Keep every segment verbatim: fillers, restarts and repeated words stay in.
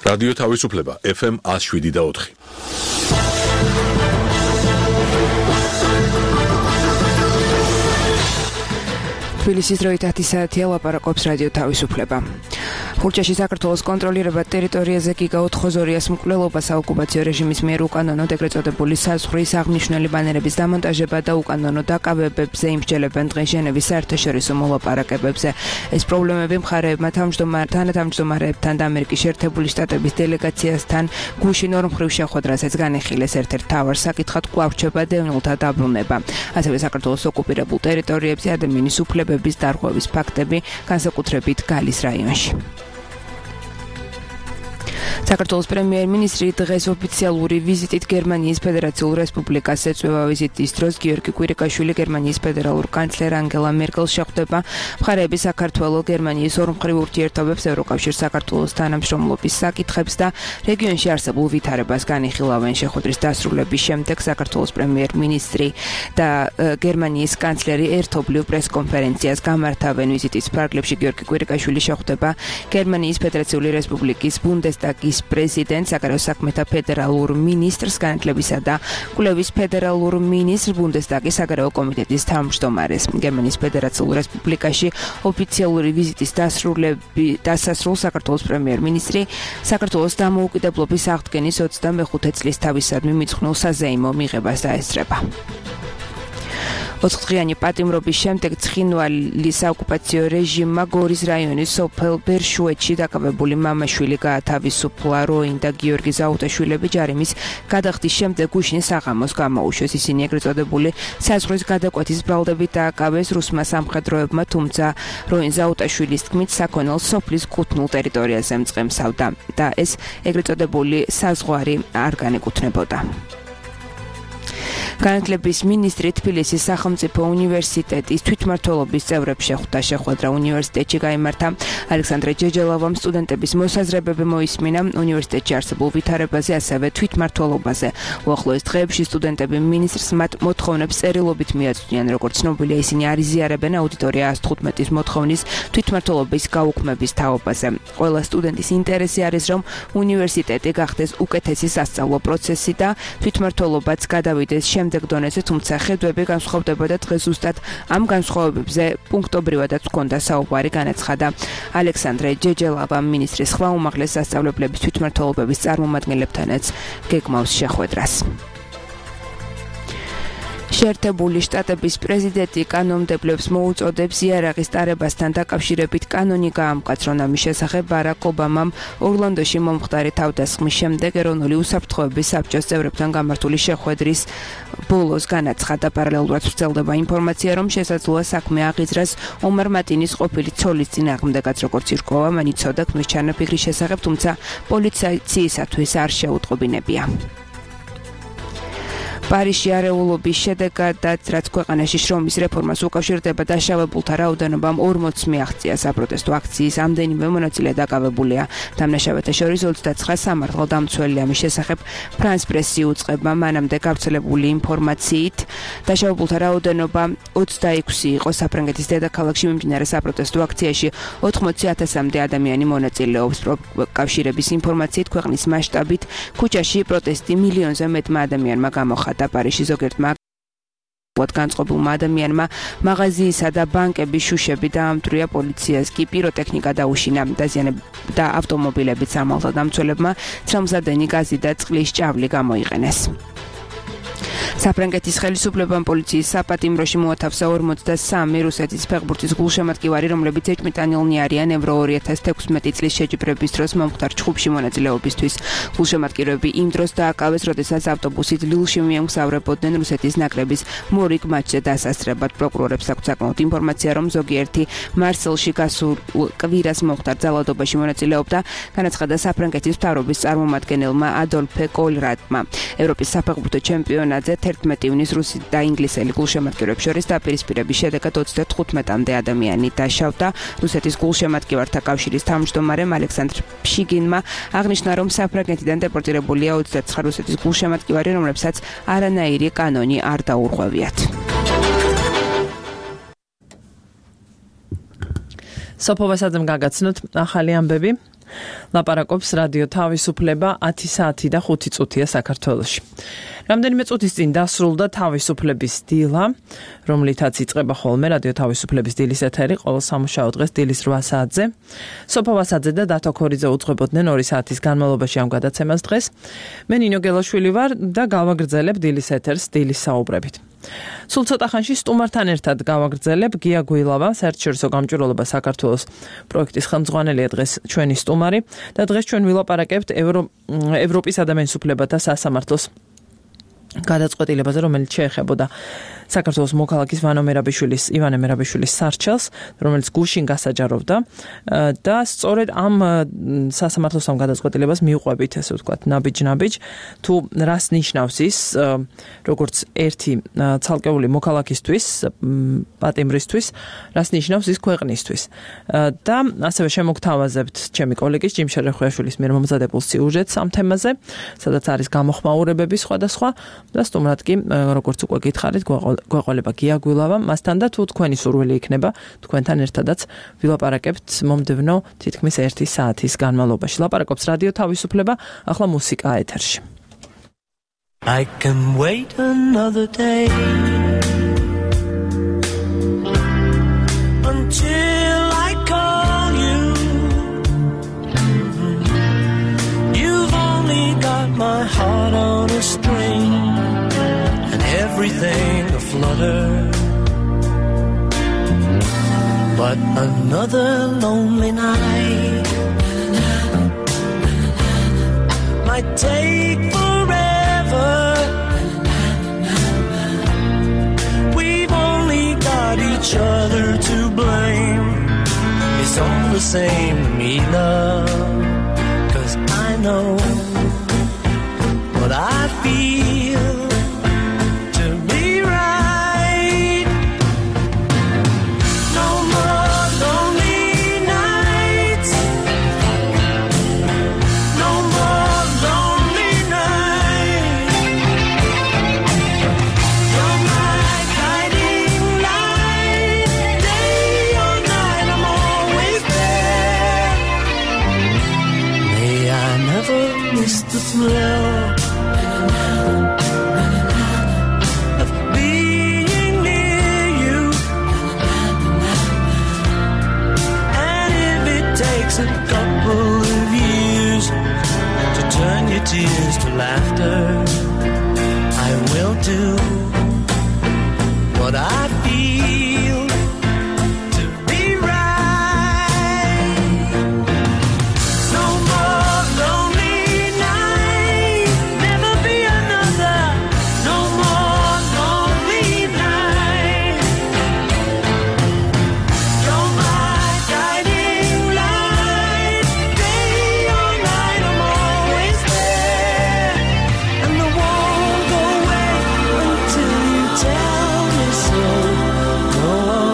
რადიო თავისუფლება ეფ ემ one oh seven და four. თბილისის დროით ათი საათია ლაპარაკობს რადიო თავისუფლება. ხურჯაში საქართველოს კონტროლირება ტერიტორიაზე გიგაუთ ხოზორიას მკვლელობა საოკუპაციო რეჟიმის მიერ უკანონოდ ეგრეთ წოდებული საზღვრის აღმნიშვნელი ბანერების დამონტაჟება და უკანონო დაკავებებზე იმსჯელებენ დღეს ჟენევის საერთაშორისო მოლაპარაკებებზე. ეს პრობლემები მხარეებმა თავმჯდომარეებთან, თანამშრომლებთან და ამერიკის შეერთებული შტატების დელეგაციასთან გუშინ ორმხრივ შეხვედრასაც განიხილეს. ერთ-ერთ მთავარ საკითხად კვლავ რჩება დევნილთა დაბრუნება. ასევე საქართველოს ოკუპირებულ ტერიტორიებზე ადამიანის უფლებების დარღვევის ფაქტები, განსაკუთრებით გალის რაიონში. საქართველოს პრემიერ-მინისტრი დღეს ოფიციალური ვიზიტით გერმანიის ფედერაციულ რესპუბლიკას ეწვევა. ვიზიტის დროს გიორგი კვირიკაშვილი გერმანიის ფედერალურ კანცლერ ანგელა მერკელს შეხვდება. მხარეები საქართველოს გერმანიის ორმხრივ ურთიერთობებს, ევროკავშირს საქართველოს თანამშრომლობის საკითხებს და რეგიონში არსებულ ვითარებას განიხილავენ. შეხვედრის დასრულების შემდეგ საქართველოს პრემიერ-მინისტრი და გერმანიის კანცლერი ერთობლივ პრესკონფერენციას გამართავენ. ვიზიტის ფარგლებში გიორგი კვირიკაშვილი შეხვდება გერმანიის ფედერაციული რესპუბლიკის ბუნდესტაგის პრეზიდენტს, საგარეო საქმეთა ფედერალურ მინისტრს, განათლებისა და კვლევის ფედერალურ მინისტრს, ბუნდესტაგის საგარეო კომიტეტის თავმჯდომარეს. გერმანიის ფედერაციულ რესპუბლიკაში ოფიციალური ვიზიტის დასასრულს საქართველოს პრემიერ-მინისტრი საქართველოს დამოუკიდებლობის აღდგენის ოცდამეხუთე წლის თავისადმი მიძღვნილ საზეიმო მიღებას დაესწრება. ოთხდღიანი პატიმრობის შემდეგ ცხინვალის საოკუპაციო რეჟიმმა გორის რაიონის სოფელ ბერშუეთში დაკავებული მამაშვილი გაათავისუფლა. როინ და გიორგი ზაუტაშვილები ჯარიმის გადახდის შემდეგ გუშინ საღამოს გამოუშვეს. ისინი ეგრეთ წოდებული საზღვრის გადაკვეთის ბრალდებით დააკავეს რუსმა სამხედროებმა, თუმცა როინ ზაუტაშვილის თქმით საქონელს სოფლის კუთნულ ტერიტორიაზე მწყემსავდა და ეს ეგრეთ წოდებული საზღვარი არ განეკუთვნებოდა. განათლების მინისტრი თბილისის სახელმწიფო უნივერსიტეტის თვითმმართველობის წევრებს შეხვდა. შეხვედრა უნივერსიტეტში გაიმართა. ალექსანდრე ჯეჯელავამ სტუდენტების მოსაზრებები მოისმინა უნივერსიტეტში არსებულ ვითარებაზე, ასევე თვითმმართველობაზე. უახლოეს დღეებში სტუდენტები მინისტრს მათ მოთხოვნებს წერილობით მიაწვდიან. როგორც ცნობილია, ისინი არ იზიარებენ აუდიტორია one fifteen მოთხოვნის თვითმმართველობის გაუქმების თაობაზე. ყველა სტუდენტის ინტერესი არის, რომ უნივერსიტეტი გახდეს უკეთესი სასწავლო პროცესი და თვითმმართველობაც გადავიდეს შემდეგ დონეზე, თუმცა ხედვები განსხვავდებოდა. დღეს ზუსტად ამ განსხვავებებზე პუნქტობრივადაც ჰქონდა საუბარი, განაცხადა ალექსანდრე ჯეჯელავა. მინისტრის ხმა უმაღლეს სასწავლებლების თვითმმართველობების წარმომადგენლებთანაც გეგმავს შეხვედრას. შეერთებული შტატების პრეზიდენტი კანონმდებლებს მოუწოდებს იარაღის ტარებასთან დაკავშირებით კანონი გაამყაცრონ. ამის შესახებ ბარაკ ობამამ ორლანდოში მომხდარი თავდასხმის შემდეგ ეროვნული უსაფრთხოების საბჭოს წევრებთან გამართული შეხვედრის ბოლოს განაცხადა. პარალელურად ვრცელდება ინფორმაცია, რომ შესაძლოა საქმე აღიძრას ომარ მატინის ყოფილი ცოლის წინააღმდეგაც. როგორც ირკვევა, მან იცოდა ქმრის ჩანაფიქრის შესახებ, თუმცა პოლიციისათვის არ შეუტყობინებია. პარიზში არეულობის შედეგადაც, რაც ქვეყანაში შრომის რეფორმას უკავშირდება, დაშავებულთა რაოდენობამ ორმოც მიაღწია. საპროტესტო აქციის ამდენივე მონაწილე დაკავებულია. დამნაშავეთა შორის ოცდაცხრა სამართალდამცველი. ამის შესახებ ფრანს პრესი უწყება. მანამდე გავრცელებული ინფორმაციით დაშავებულთა რაოდენობა ოცდაექვსი იყო. საფრანგეთის დედაქალაქში მიმდინარე საპროტესტო აქციაში ოთხმოცი ათასამდე ადამიანი მონაწილეობს. პროკავშირების ინფორმაციით ქვეყნის მასშტაბით ქუჩაში პროტესტი მილიონზე მეტმა ადამიანმა გამოხატა. პარიზში ზოგიერთმა განწყობილმა ადამიანმა მაღაზიისა და ბანკების შუშები დაამტვრია. პოლიციას კი პიროტექნიკა დაუშინა. და ავტომობილებიც სამართალდამცველებმა ცრემლსადენი გაზი და წყლის ჭავლი გამოიყენეს. საფრანგეთის ხელისუფლებამ პოლიციის საპატიმროში მოათავსა ორმოცდასამი რუსეთის ფეხბურთის გულშემატკივარი, რომლებიც ეჭვმიტანილნი არიან ევრო ორი ათას თექვსმეტი წლის შეჯიბრების დროს მომხდარ ჩხუბში მონაწილეობისთვის. გულშემატკივრები იმ დროს დააკავეს, როდესაც ავტობუსით ლილში მიემგზავრებოდნენ რუსეთის ნაკრების მორიგ მატჩზე დასასწრებად. პროკურორებს აქვს საკმაოდ ინფორმაცია, რომ ზოგიერთი მარსელში გასულ კვირას მომხდარ ძალადობაში მონაწილეობდა, განაცხადა საფრანგეთის მთავრობის წარმომადგენელმა ადოლფე კოლრატმა. ევროპის საფეხბურთო ჩემპიონატზე თერთმეტი ივნის რუსი და ინგლისელი გულშემატკივრებს შორის დაპირისპირების შედეგად ოცდათხუთმეტამდე ადამიანი დაშავდა. რუსეთის გულშემატკივართა კავშირის თავმჯდომარემ ალექსანდრ ფშიგინმა აღნიშნა, რომ საფრანგეთიდან დეპორტირებულია ოცდაცხრა რუსეთის გულშემატკივარი, რომლებსაც არანაირი კანონი არ დაურღვევიათ. სოფოვასაძემ გაგაცნოთ ახალი ამბები. ლაპარაკობს რადიო თავისუფლება ათი საათი და ხუთი წუთია საქართველოში. რამდენიმე წუთის წინ დასრულდა თავისუფლების დილა, რომლითაც იწყება ხოლმე რადიო თავისუფლების დილის ეთერი ყოველ სამუშაო დღეს დილის რვა საათზე. სოფოვასაძე და დათო ქორიძე უძღვებოდნენ ორი საათის განმავლობაში ამ გადაცემას დღეს. მე ნინო გელაშვილი ვარ და გავაგრძელებ დილის ეთერს დილის საუბრებით. სულ ცოტა ხანში სტუმართან ერთად გავაგრძელებ გია გუილავა, საერთაშორისო გამჭვირვალობა საქართველოს პროექტის ხელმძღვანელია დღეს ჩვენი სტუმარი და დღეს ჩვენ ვილაპარაკებთ ევრო, ევროპის ადამიანის უფლებათა სასამართლოს გადაწყვეტილებაზე, რომელიც შეეხებოდა საქართველოს მოქალაქის ვანო მერაბიშვილის, ივანე მერაბიშვილის სარჩელს, რომელიც გუშინ გასაჯაროვდა და სწორედ ამ სასამართლოს ამ გადაწყვეტილებას მიუყვებით, ესე ვთქვათ, ნაბიჯ-ნაბიჯ, თუ რას ნიშნავს ის, როგორც ერთი ცალკეული მოქალაქისთვის, პატიმრისთვის, რას ნიშნავს ის ქვეყნისთვის. და ასევე შემოგთავაზებთ ჩემი კოლეგის ჯიმშა რეხვიაშვილის მიერ მომზადებულ სიუჟეტს ამ თემაზე, სადაც არის გამოხმაურებები სხვადასხვა და სტუმრად კი, როგორც უკვე გითხარით, გვეყოლება გია გუილავა, მასთან და თუ თქვენი სურვილი იქნება, თქვენთან ერთადაც ვილაპარაკებთ მომდევნო თითქმის ერთი საათის განმავლობაში. ლაპარაკობს რადიო თავისუფლება, ახლა მუსიკა ეთერში. I can wait another day until I call you. You've only got my heart on a string and everything aflutter, but another lonely night might take forever. We've only got each other to blame. It's all the same to me, love, 'cause I know what I feel to be right. No more lonely nights, no more lonely nights. You're my guiding light, day or night I'm always there. May I never miss the thrill of being near you, and if it takes a couple of years to turn your tears to laughter, I will do what I feel to be right. No more lonely nights, never be another. No more lonely nights. You're my guiding light, day or night I'm always there, and I won't go away until you tell me so. Go on.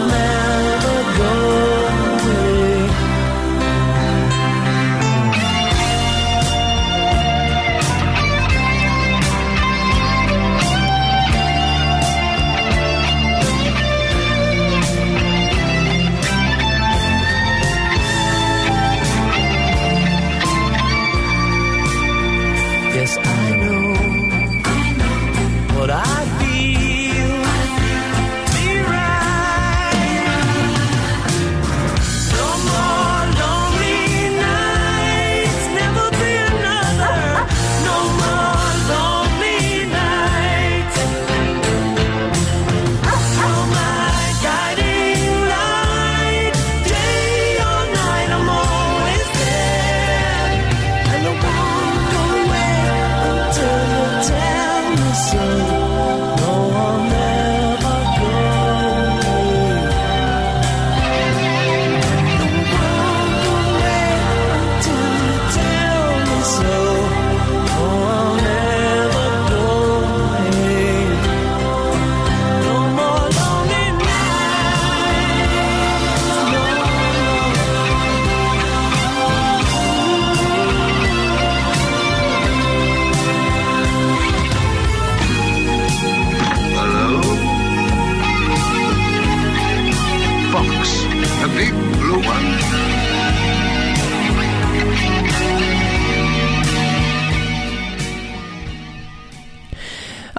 big blue one.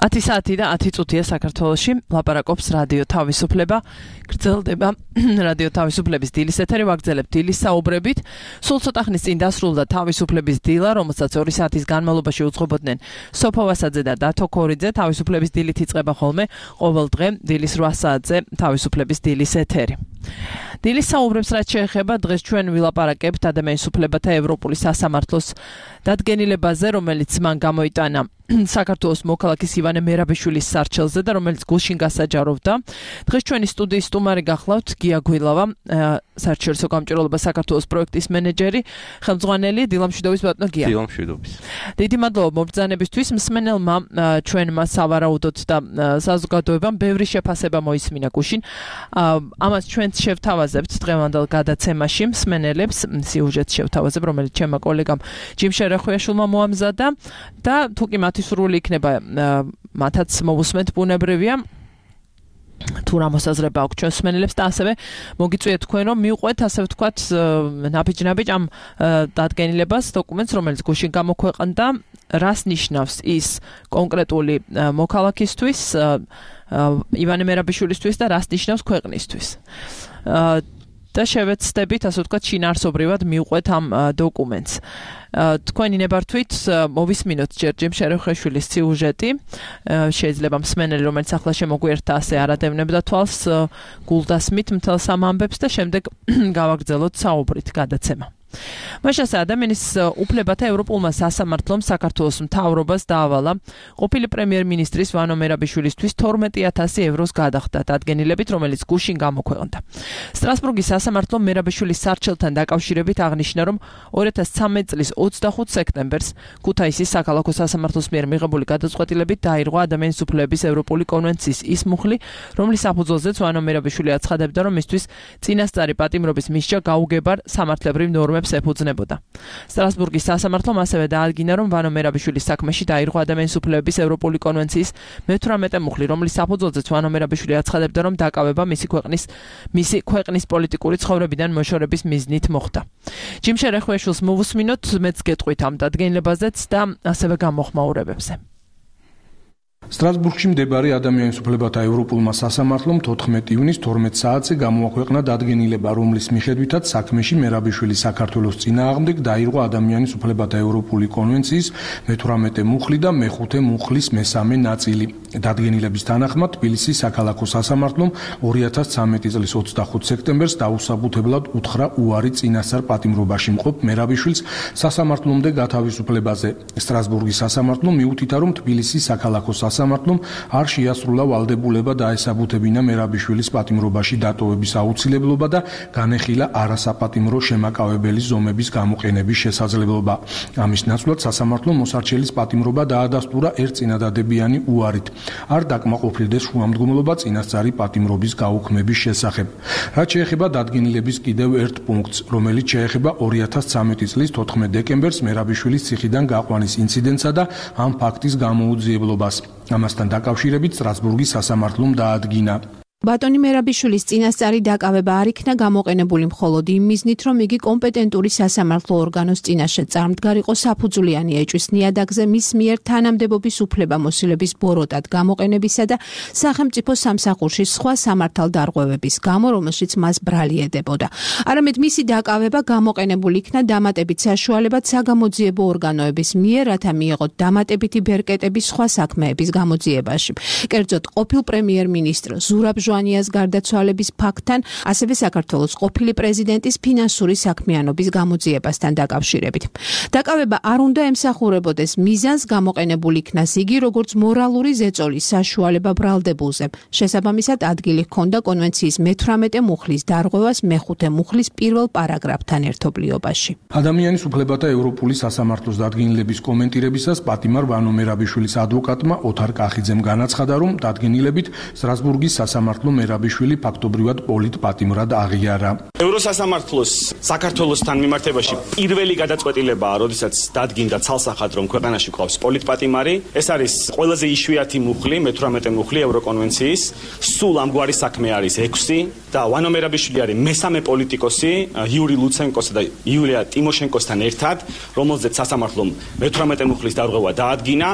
ათი საათი და ათი წუთია საქართველოში. ლაპარაკობს რადიო თავისუფლება. გრძელდება რადიო თავისუფლების დილის ეთერი. ვაგრძელებთ დილის საუბრებით. სულ ცოტა ხნის წინ დასრულდა თავისუფლების დილა, რომელსაც ორი საათის განმავლობაში უძღვებოდნენ სოფო ვასაძე და დათო ქორიძე. თავისუფლების დილით იწყება ხოლმე ყოველ დღე დილის რვა საათზე თავისუფლების დილის ეთერი. დილის საუბრებს რაც შეეხება, დღეს ჩვენ ვილაპარაკებთ ადამიანის უფლებათა ევროპული სასამართლოს დადგენილებაზე, რომელიც მან გამოიტანა საქართველოს მოქალაქის ივანე მერაბიშვილის სარჩელზე და რომელიც გულშინ გასაჯაროვდა. დღეს ჩვენი სტუდიის სტუმარი გახლავთ გია გვილავა, საერთაშორისო გამჭირვალობა საქართველოს პროექტის მენეჯერი, ხელმძღვანელი. დილამშვიდობის ბატონო გია. დილამშვიდობის. დიდი მადლობა მობრძანებისთვის. მსმენელმა ჩვენმა სავარაუდოდ და საზოგადოებამ ბევრი შეფასება მოისმინა გულშინ. ამას ჩვენც შევთავაზებთ დღევანდელ გადაცემაში მსმენელებს სიუჟეტს შევთავაზებ, რომელიც ჩემმა კოლეგამ ჯიმ შერახვიაშვილმა მოამზადა და თუ კი მათი სურვილი იქნება მათაც მოვუსმენთ ბუნებრივია თუ რა მოსაზრება აქვს ჩვენს მსმენელებს და ასევე მოგიწვიეთ თქვენ რომ მიუყვეთ ასე ვთქვათ ნაბიჯ-ნაბიჯ ამ დადგენილებას დოკუმენტს რომელიც გუშინ გამოქვეყნდა რას ნიშნავს ის კონკრეტული მოქალაქისთვის ივანე მერაბიშვილისთვის და რას ნიშნავს ქვეყნისთვის და შევეცდებით ასე ვთქვათ შინაარსობრივად მიუყვეთ ამ დოკუმენტს თქვენი ნებართვით მოვისმინოთ ჯერ ჯიმ შერახვიაშვილის სიუჟეტი შეიძლება მსმენელი რომელიც ახლა შემოგვიერთდა ასე არადევნებდა თვალს გულდასმით მთელს ამ ამბებს და შემდეგ გავაგრძელოთ საუბრით გადაცემა მაშასა ადამიანის უფლებათა ევროპულმა სასამართლომ საქართველოს მთავრობას დაავალა ყოფილი პრემიერ-მინისტრის ვანო მერაბიშვილისთვის თორმეტი ათასი ევროს გადახდა დადგენილებით რომელიც გუშინ გამოქვეყნდა სტრასბურგის სასამართლომ მერაბიშვილის სარჩელთან დაკავშირებით აღნიშნა რომ ორი ათას ცამეტ წლის ოცდახუთ სექტემბერს ქუთაისის საქალაქო სასამართლოს მიერ მიღებული გადაწყვეტილებით დაირღვა ადამიანის უფლებების ევროპული კონვენციის ის მუხლი რომლის საფუძველზეც ვანო მერაბიშვილი აცხადებდა რომ მისთვის წინასწარი პატიმრობის მისჯა გაუგებარ სამართლებრივ ნორმებს ეფუძნებოდა. სტრასბურგის სასამართლომ ასევე დაადგინა, რომ ვანო მერაბიშვილის საქმეში დაირღვა ადამიანის უფლებების ევროპული კონვენციის მეთვრამეტე მუხლი, რომლის საფუძველზეც ვანო მერაბიშვილი აცხადებდა, რომ დაკავება მისი ქვეყნის მისი ქვეყნის პოლიტიკური ცხოვრებიდან მოშორების მიზნით მოხდა. ჯიმ შერახვიაშვილს მოვუსმინოთ, მეც გეტყვით ამ დადგენილებაზეც და ასევე გამოხმაურებებზე. სტრასბურგში მდებარე ადამიანის უფლებათა ევროპულმა სასამართლომ თოთხმეტი ივნის თორმეტ საათზე გამოაქვეყნა დადგენილება, რომლის მიხედვითაც საქმეში მერაბიშვილი საქართველოს წინააღმდეგ დაირღვა ადამიანის უფლებათა ევროპული კონვენციის მეთვრამეტე მუხლი და მეხუთე მუხლის მესამე ნაწილი. დადგენილების თანახმად თბილისის საქალაქო სასამართლომ ორი ათას ცამეტი წლის ოცდახუთ სექტემბერს დაუსაბუთებლად უთხრა უარი წინასწარ პატიმრობაში მყოფ მერაბიშვილს სასამართლომდე გათავისუფლებაზე. სტრასბურგის სასამართლომ მიუთითა, რომ თბილისის საქალაქო სასამართლომ არ შეასრულა ვალდებულება დაესაბუთებინა მერაბიშვილის პატიმრობაში დატოვების აუცილებლობა და განეხილა არასაპატიმრო შემაკავებელი ზომების გამოყენების შესაძლებლობა. ამის ნაცვლად სასამართლომ მოსარჩელის პატიმრობა დაადასტურა ერთწინადადებიანი უარით. არ დაკმაყოფილდეს შუამდგომლობა წინასწარი პატიმრობის გაუქმების შესახებ. რაც შეეხება დადგენილების კიდევ ერთ პუნქტს, რომელიც შეეხება ორი ათას ცამეტი წლის თოთხმეტ დეკემბერს მერაბიშვილის ციხიდან გაყვანის ინციდენტსა და ამ ფაქტის გამოუძიებლობას. ამასთან დაკავშირებით სტრასბურგის სასამართლომ დაადგინა ბატონი მერაბიშვილის წინასწარი დაკავება არ იქნა გამოყენებული მხოლოდ იმ მიზნით, რომ იგი კომპეტენტური სასამართლო ორგანოს წინაშე წარმდგარიყო საფუძვლიანი ეჭვის ნიადაგზე მის მიერ თანამდებობის უფლებამოსილების ბოროტად გამოყენებისა და სახელმწიფო სამსახურში სხვა სამართალდარღვევების გამო, რომელშიც მას ბრალი ედებოდა. არამედ მისი დაკავება გამოყენებული იქნა დამატებით საშუალებად საგამოძიებო ორგანოების მიერ, რათა მიეღოთ დამატებითი ბერკეტები სხვა საქმეების გამოძიებაში. კერძოდ, ყოფილ პრემიერ-მინისტრ ზურაბ ჟვანიას გარდაცვალების ფაქტთან, ასევე საქართველოს ყოფილი პრეზიდენტის ფინანსური საქმიანობის გამოძიებასთან დაკავშირებით. დაკავება არ უნდა ემსახურებოდეს მიზანს გამოყენებული იქნას იგი როგორც მორალური ზეწოლის საშუალება ბრალდებულზე. შესაბამისად ადგილი ჰქონდა კონვენციის მეთვრამეტე მუხლის დარღვევას მეხუთე მუხლის პირველ პარაგრაფთან ერთობლიობაში. ადამიანის უფლებათა ევროპული სასამართლოს დადგენილების კომენტირებისას პატიმარ ვანო მერაბიშვილის ადვოკატმა ოთარ კახიძემ განაცხადა, რომ დადგენილებით სტრასბურგის სასამართლო სასამართლო მერაბიშვილი ფაქტობრივად პოლიტპატიმრად აღიარა. ევროსასამართლოს საქართველოსთან მიმართებაში პირველი გადაწყვეტილებაა, როდესაც დადგინდა ცალსახად, რომ ქვეყანაში გვყავს პოლიტპატიმარი. ეს არის ყველაზე იშვიათი მუხლი, მეთვრამეტე მუხლი ევროკონვენციის. სულ ამგვარი საქმე არის ექვსი და ვანო მერაბიშვილი არის მესამე პოლიტიკოსი იური ლუცენკოსა და იულია ტიმოშენკოსთან ერთად, რომელზეც სასამართლომ მეთვრამეტე მუხლის დარღვევა დაადგინა.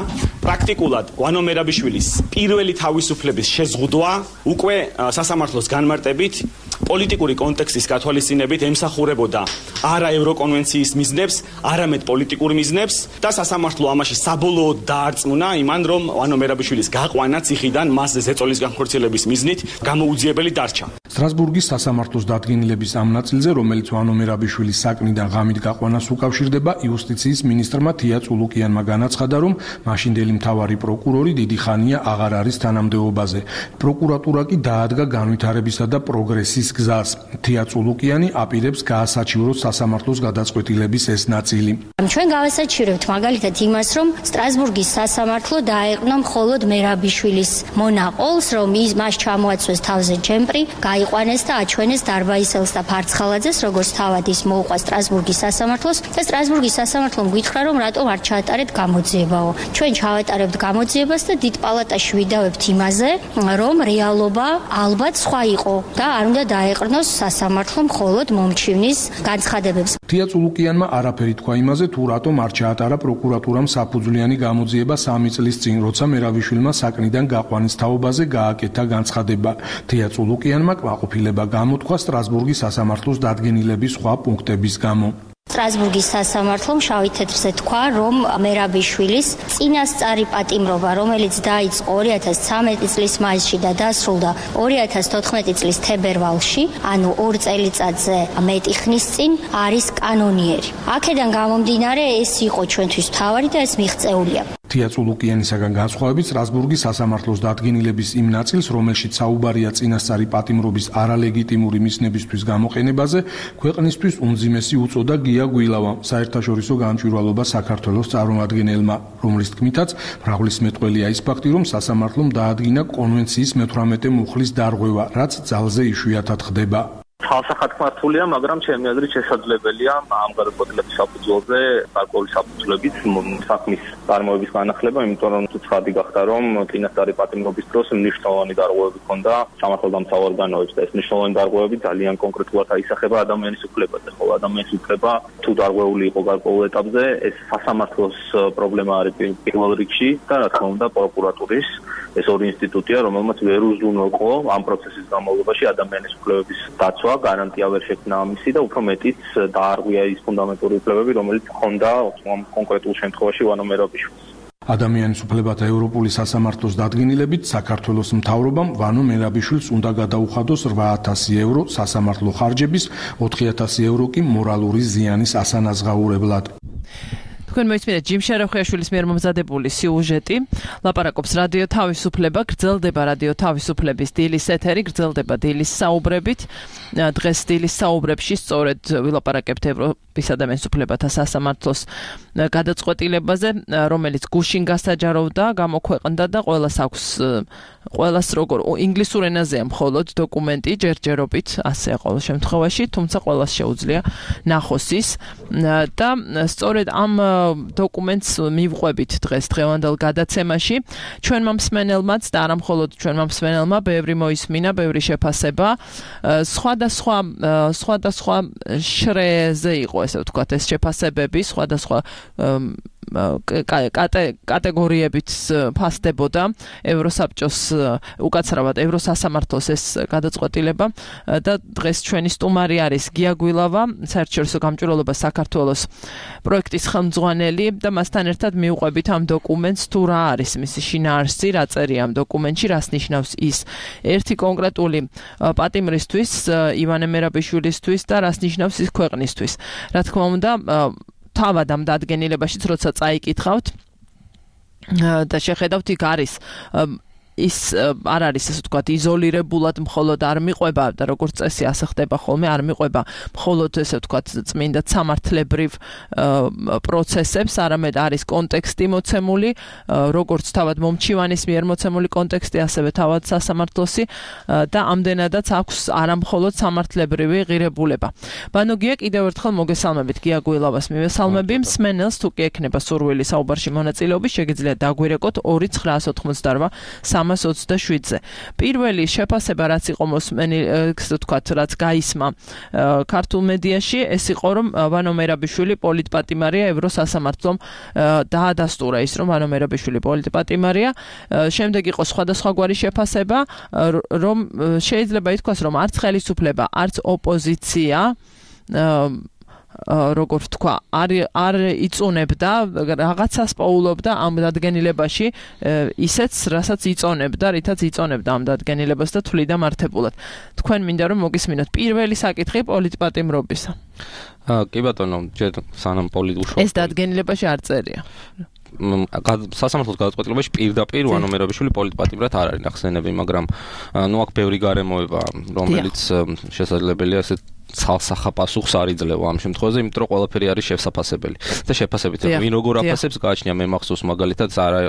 პრაქტიკულად ვანო მერაბიშვილის პირველი თავისუფლების შეზღუდვა უკვე სასამართლოს განმარტებით პოლიტიკური კონტექსტის გათვალისწინებით ემსახურებოდა არა ევროკონვენციის მიზნებს, არამედ პოლიტიკურ მიზნებს და სასამართლო ამაში საბოლოოდ დაარწმუნა იმან, რომ ვანო მერაბიშვილის გაყვანა ციხიდან მასზე ზეწოლის განხორციელების მიზნით გამოუძიებელი დარჩა. სტრასბურგის სასამართლოს დადგენილების ამ ნაწილზე, რომელიც ვანო მერაბიშვილის საკნიდან ღამით გაყვანას უკავშირდება, იუსტიციის მინისტრმა თია წულუკიანმა განაცხადა, რომ მაშინდელი მთავარი პროკურორი დიდი ხანია აღარ არის თანამდებობაზე. პროკურატურა კი დაადგა განვითარებისა და პროგრესის გზას. თია წულუკიანი აპირებს გაასაჩივროს სასამართლოს გადაწყვეტილების ეს ნაწილი. ჩვენ გავასაჩივრებთ მაგალითად იმას, რომ სტრასბურგის სასამართლო დაეყრდნა მხოლოდ მერაბიშვილის მონაყოლს, რომ ის მას ჩამოაცვეს თავზე ჯემპრი, გაიყვანეს და აჩვენეს დარბაისელს და ფარცხალაძეს, როგორც თავად ის მოუყვა სტრასბურგის სასამართლოს და სტრასბურგის სასამართლომ გითხრა, რომ რატომ არ ჩაატარეთ გამოძიებაო. ჩვენ ჩავატარებთ გამოძიებას და დიდ პალატაში ვიდავებთ იმაზე, რომ რეალობა ალბათ სხვა იყო და არ უნდა დაეყრდნოს სასამართლო მხოლოდ მომჩივნის განცხადებებს. თია წულუკიანმა არაფერი თქვა იმაზე, თუ რატომ არ ჩაატარა პროკურატურამ საფუძვლიანი გამოძიება სამი წლის წინ, როცა მერაბიშვილმა საკნიდან გაყვანის თაობაზე გააკეთა განცხადება. თია წულუკიანმა კმაყოფილება გამოთქვა სტრასბურგის სასამართლოს დადგენილების სხვა პუნქტების გამო. სტრასბურგის სასამართლომ შავი თეთრზე თქვა, რომ მერაბიშვილის წინასწარი პატიმრობა, რომელიც დაიწყო ორი ათას ცხრამეტი წლის მაისში და დასრულდა ორი ათას თოთხმეტი წლის თებერვალში, ანუ ორ წელიწადზე მეტი ხნის წინ, არის კანონიერი. აქედან გამომდინარე, ეს იყო ჩვენთვის მთავარი და ეს მიღწეულია. თია წულუკიანისაგან განსხვავებით, სტრასბურგის სასამართლოს დადგენილების იმ ნაწილს, რომელშიც საუბარია წინასწარი პატიმრობის არალეგიტიმური მიზნებისთვის გამოყენებაზე, ქვეყნისთვის უმძიმესი უწოდა გია გვილავამ, საერთაშორისო გამჭვირვალობა საქართველოს წარმომადგენელმა, რომლის თქმითაც მრავლის მეტყველია ის ფაქტი, რომ სასამართლომ დაადგინა კონვენციის მეთვრამეტე მუხლის დარღვევა, რაც ძალზე იშვიათად ხდება. ხალხსახად მართულია, მაგრამ ჩემი აზრით შესაძლებელია ამ გადაწყვეტილების საფუძველზე გარკვეული საფუძვლებით საქმის წარმოების განახლება, იმიტომ რომ თუ ცხადი გახდა, რომ წინასწარი პატიმრობის დროს მნიშვნელოვანი დარღვევები ჰქონდა სამართალდამცავ ორგანოებს და ეს მნიშვნელოვანი დარღვევები ძალიან კონკრეტულად აისახება ადამიანის უფლებაზე, ხოლო ადამიანის უფლება თუ დარღვეული იყო გარკვეულ ეტაპზე, ეს სასამართლოს პრობლემა არის პირველ რიგში და რა თქმა უნდა პროკურატურის ეს ორი ინსტიტუტია, რომელმაც ვერ უზრუნველყო ამ პროცესის განმავლობაში ადამიანის უფლებების დაცვა, გარანტია ვერ შექმნა ამისი და უფრო მეტიც დაარღვია ის ფუნდამენტური უფლებები, რომელიც ჰქონდა ამ კონკრეტულ შემთხვევაში ვანო მერაბიშვილს. ადამიანის უფლებათა ევროპული სასამართლოს დადგენილებით საქართველოს მთავრობამ ვანო მერაბიშვილს უნდა გადაუხადოს რვა ათასი ევრო სასამართლო ხარჯების, ოთხი ათასი ევრო კი მორალური ზიანის ასანაზღაურებლად. თქვენ მოიწმინეთ ჯიმ შეროხიაშვილის მიერ მომზადებული სიუჟეტი. ლაპარაკობს რადიო თავისუფლება, გრძელდება რადიო თავისუფლების დილის ეთერი, გრძელდება დილის საუბრებით. დღეს დილის საუბრებში სწორედ ვილაპარაკებთ ევროპის ადამიანის უფლებათა სასამართლოს გადაწყვეტილებაზე, რომელიც გუშინ გასაჯაროვდა, გამოქვეყნდა და ყველას აქვს ყველას როგორ ინგლისურ ენაზეა მხოლოდ დოკუმენტი ჯერჯერობით, ასე ყოველ შემთხვევაში, თუმცა ყველას შეუძლია ნახოს ის და სწორედ ამ დოკუმენტს მივყვებით დღეს დღევანდელ გადაცემაში. ჩვენმა მსმენელმაც და არა მხოლოდ ჩვენმა მსმენელმა, ბევრი მოისმინა, ბევრი შეფასება. სხვადასხვა სხვადასხვა შრეზე იყო, ესე ვთქვათ, ეს შეფასებები, სხვადასხვა კატეგორიებით ფასდებოდა ევროსაბჭოს, უკაცრავად ევროსასამართლოს ეს გადაწყვეტილება და დღეს ჩვენი სტუმარი არის გია გვილავა, საერთაშორისო გამჭვირვალობა საქართველოს პროექტის ხელმძღვანელი და მასთან ერთად მივყვებით ამ დოკუმენტს, თუ რა არის მისი შინაარსი, რა წერია ამ დოკუმენტში, რას ნიშნავს ის ერთი კონკრეტული პატიმრისთვის, ივანე მერაბიშვილისთვის და რას ნიშნავს ის ქვეყნისთვის. რა თქმა უნდა, თავად ამ დადგენილებაშიც როცა წაიკითხავთ და შეხედავთ, იქ არის ის არ არის ასე ვთქვათ იზოლირებულად მხოლოდ არ მიყვება და როგორც წესი ასე ხდება ხოლმე არ მიყვება მხოლოდ ესე ვთქვათ წმინდა სამართლებრივ პროცესებს, არამედ არის კონტექსტი მოცემული, როგორც თავად მომჩივანის მიერ მოცემული კონტექსტი, ასევე თავად სასამართლოსი და ამდენადაც აქვს არამხოლოდ სამართლებრივი ღირებულება. ბანო გია, კიდევ ერთხელ მოგესალმებით, გია გუილავას მივესალმები. მსმენელს თუ კი ექნება სურვილი საუბარში მონაწილეობის, შეგიძლია დაგვირეკოთ ორი ცხრა ოცდაოთხმოცდარვა სამას ოცდაშვიდზე. პირველი შეფასება რაც იყო მოსმენი, ასე ვთქვათ, რაც გაისმა ქართულ მედიაში, ეს იყო რომ ბანო მერაბიშვილი პოლიტპატიმარია ევროსასამართლომ დაადასტურა ის რომ ბანო მერაბიშვილი პოლიტპატიმარია. შემდეგ იყო სხვადასხვაგვარი შეფასება, რომ შეიძლება ითქვას რომ არც ხელისუფლება, არც ოპოზიცია როგორ ვთქვა, არ არ იწუნებდა, რაღაცას პოულობდა ამ დადგენილებაში, ისეც, რასაც იწონებდა, რითაც იწონებდა ამ დადგენილებას და თვლიდა მართებულად. თქვენ მინდა რომ მოგისმინოთ პირველი საკითხი პოლიტპატიმრობისა. კი ბატონო, ჯერ სანამ პოლიტუშო ეს დადგენილებაში არ წერია. სასამართლოს გადაწყვეტილებაში პირდაპირ ბანო მერაბიშვილი პოლიტპატიმრად არ არის ნახსენები, მაგრამ ნუ აქ ბევრი გარემოება, რომელიც შესაძლებელია ესე ცალსახა პასუხს არ იძლევა ამ შემთხვევაში, იმიტომ რომ ყველაფერი არის შესაფასებელი. და შეფასებით, ვინ როგორ აფასებს გააჩნია მე მახსოვს მაგალითად არა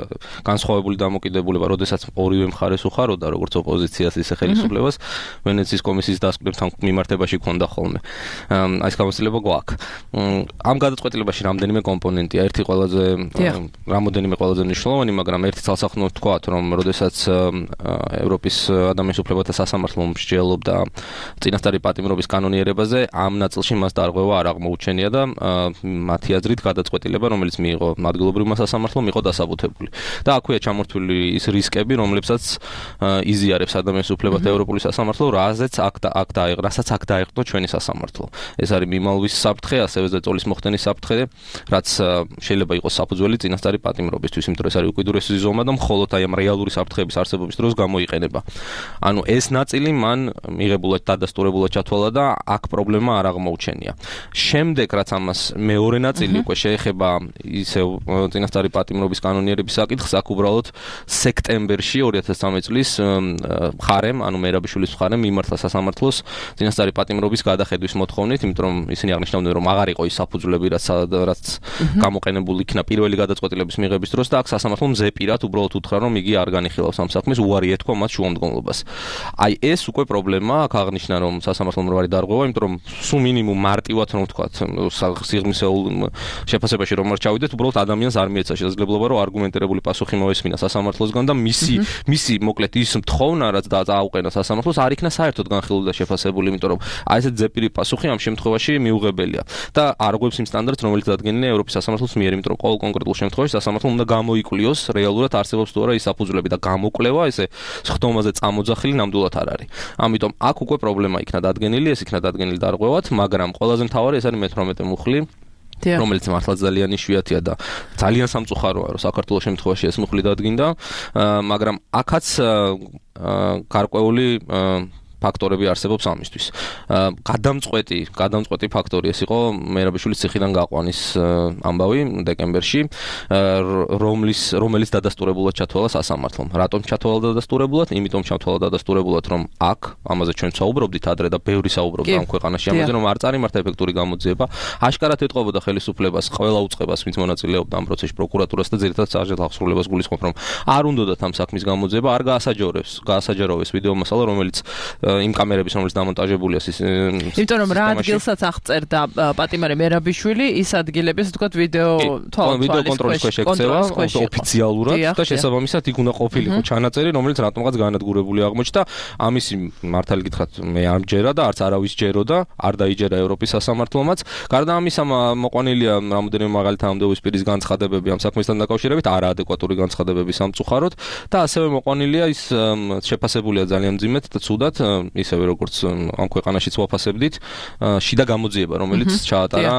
განსხვავებული დამოკიდებულება, როდესაც ორივე მხარეს უხაროდა, როგორც ოპოზიციას ისე ხელისუფლებას, ვენეციის კომისიის დასკვნებთან მიმართებაში ქონდა ხოლმე. აი ეს გამოცდილება გვაქვს. ამ გადაწყვეტილებაში რამდენიმე კომპონენტია, ერთი ყველაზე რამოდენიმე ყველაზე მნიშვნელოვანი, მაგრამ ერთი ცალსახნოდ ვთქვათ, რომ როდესაც ევროპის ადამიანის უფლებათა სასამართლო მსჯელობდა წინასწარი პატიმრობის კანონიერებაზე, ამ ნაწილში მას დარღვევა არ აღმოუჩენია და მათი აზრით გადაწყვეტილება, რომელიც მიიღო ადგილობრივმა სასამართლომ, იყო დასაბუთებული. და აქვეა ჩამორთული ის რისკები, რომლებსაც იზიარებს ადამიანის უფლებათა ევროპული სასამართლო, რაზეც აქ აქ დაიღო, რასაც აქ დაიღო ჩვენი სასამართლო. ეს არის მიმალვის საფრთხე, ასევე ზეწოლის მოხდენის საფრთხე, რაც შეიძლება იყოს საფუძველი წინასწარი პატიმრობისთვის, იმიტომ რომ ეს არის უკიდურესი ზომა და მხოლოდ აი ამ რეალური საფრთხების არსებობის დროს გამოიყენება. ანუ ეს ნაწილი მან მიღებულად დადასტურებულად ჩათვალა და აქ პრობლემა არ აღმოუჩენია. შემდეგ რაც ამას მეორე ნაწილი უკვე შეეხება ისევ წინასწარი პატიმრობის კანონიერების საკითხს, აქ უბრალოდ სექტემბერში ორი ათას ცხრამეტი წლის მხარემ, ანუ მერაბიშვილის მხარემ მიმართა სასამართლოს წინასწარი პატიმრობის გადახედვის მოთხოვნით, იმიტომ რომ ისინი აღნიშნავდნენ, რომ აღარ იყო ის საფუძვლები, რაც რაც გამოყენებული იქნა პირველი გადაწყვეტილების მიღების დროს და აქ სასამართლომ ზეპირად უბრალოდ უთხრა, რომ იგი არ განიხილავს ამ საქმეს, უარი ეთქვა მათ შუამდგომლობას. აი ეს უკვე პრობლემაა, აქ აღნიშნა, რომ სასამართლომ რო არის დარღვევა, იმიტომ რომ სულ მინიმუმ მარტივად რომ ვთქვათ, სიღრმისეულ შეფასებაში რომ არ ჩავიდეთ, უბრალოდ ადამიანს არ მიეცა შესაძლებლობა, რომ არგუმენტირებული პასუხი მოესმინა სასამართლოსგან და მისი მისი მოკლედ ის მთხოვნა, რაც დააუყენა სასამართლოს, არ იქნა საერთოდ განხილული და შეფასებული, იმიტომ რომ აი ესეთ ზეპირი პასუხი ამ შემთხვევაში მიუღებელია და არ ღვევს იმ სტანდარტს, რომელიც დადგენილია ევროპის სასამართლოს მიერ, იმიტომ რომ ყოველ კონკრეტულ შემთხვევაში სასამართლომ უნდა გამოიკვლიოს რეალურად არსებობს თუ არა ის საფუძვლები და გამოკვლევა ესე სხდომაზე წამოძახილი ნამდვილად არ არის. ამიტომ აქ უკვე პრობლემა იქნა დადგენილი, ეს იქნა დადგენილი დარღვევად, მაგრამ ყველაზე მთავარი ეს არის მეთვრამეტე მუხლი, რომელიც მართლა ძალიან იშვიათია და ძალიან სამწუხაროა, რომ საქართველოს შემთხვევაში ეს მუხლი დადგინდა, მაგრამ აქაც გარკვეული ფაქტორები არსებობს ამისთვის. გადამწყვეტი, გადამწყვეტი ფაქტორი ეს იყო მერაბიშვილის ციხიდან გაყვანის ამბავი დეკემბერში, რომლის რომელიც დადასტურებულად ჩათვალა სასამართლომ. რატომ ჩათვალა დადასტურებულად? იმიტომ ჩათვალა დადასტურებულად, რომ აქ ამაზე ჩვენ საუბრობდით ადრე და ბევრი საუბრობდა ამ ქვეყანაში ამაზე, რომ არ წარიმართა ეფექტური გამოძიება. აშკარად ეტყობოდა ხელისუფლებას, ყველა უწყებას, ვინც მონაწილეობდა ამ პროცესში, პროკურატურას და ძირითადად საჯარო აღსრულებას გულისხმობ, რომ არ უნდათ ამ საქმის გამოძიება, არ გაასაჯაროებს, გაასაჯაროვეს ვიდეო მასალა, რომელიც იმ კამერების, რომელიც დამონტაჟებულია ის იმიტომ რომ რა ადგილსაც აღწერდა პატიმარი მერაბიშვილი, ის ადგილები, ასე ვთქვათ, ვიდეო ვიდეო კონტროლის ქვეშ ექცევა ოფიციალურად და შესაბამისად იქ უნდა ყოფილიყო ჩანაწერი, რომელიც რატომღაც განადგურებული აღმოჩნდა. ამისი მართალი გითხრათ, მე არ მჯერა და არც არავის ჯეროდა, არ დაიჯერა ევროპის სასამართლომაც. გარდა ამისა, მოყვანილია რამოდენიმე მაგალითად ამდეობის პირის განცხადებები ამ საქმესთან დაკავშირებით, არაადეკვატური განცხადებები სამწუხაროდ და ასევე მოყვანილია ის შეფასებულია ძალიან მძიმედ და ცუდად ისევე როგორც ამ ქვეყანაშიც ვაფასებდით, შიდა გამოძიება, რომელიც ჩაატარა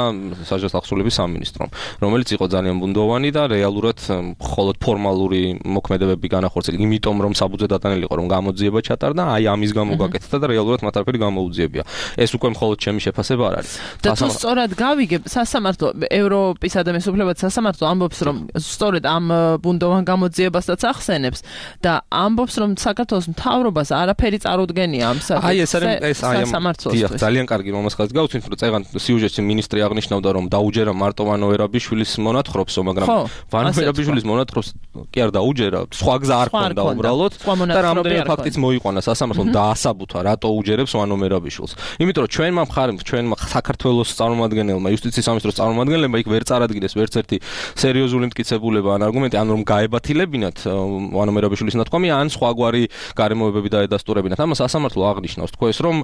საჯარო ახსოვლების სამინისტრომ, რომელიც იყო ძალიან ბუნდოვანი და რეალურად მხოლოდ ფორმალური მოქმედებები განახორციელა, იმიტომ რომ საბუძე დატანილი იყო, რომ გამოძიება ჩატარდა, აი ამის გამო გაკეთდა და რეალურად მათ არაფერი გამოუძიებია. ეს უკვე მხოლოდ ჩემი შეფასება არ არის. და თუ სწორად გავიგებ, სასამართლო ევროპის ადამიანის უფლებათა სასამართლო ამბობს, რომ სწორედ ამ ბუნდოვან გამოძიებასაც ახსენებს და ამბობს, რომ საქართველოს მთავრობას არაფერი წარუდგენია ამ სასამართლოსთვის. დიახ, ძალიან კარგი მომასხალით გავუცინოთ, რომ წეგან სიუჟეტში მინისტრი აღნიშნავდა, რომ დაუჯერა მარტო ვანო ერაბიშვილის მონათხრობსო, მაგრამ ვანო ერაბიშვილის მონათხრობს კი არ დაუჯერა, სხვა გზა არ ქონდა უბრალოდ და რამდენიმე ფაქტიც მოიყვანა სასამართლომ დაასაბუთა, რატო უჯერებს ვანო ერაბიშვილს. იმიტომ რომ ჩვენმა მხარემ, ჩვენმა საქართველოს წარმომადგენელმა, იუსტიციის სამინისტროს წარმომადგენლებმა იქ ვერ წარადგინეს ვერც ერთი სერიოზული მტკიცებულება ან არგუმენტი, ან რომ გაებათილებინათ ვანო ერაბიშვილის ნათქვამი, ან სხვაგვარი გარემოებები დაედასტურებინათ. ამას სასამართლო აღნიშნავს, თქვენს რომ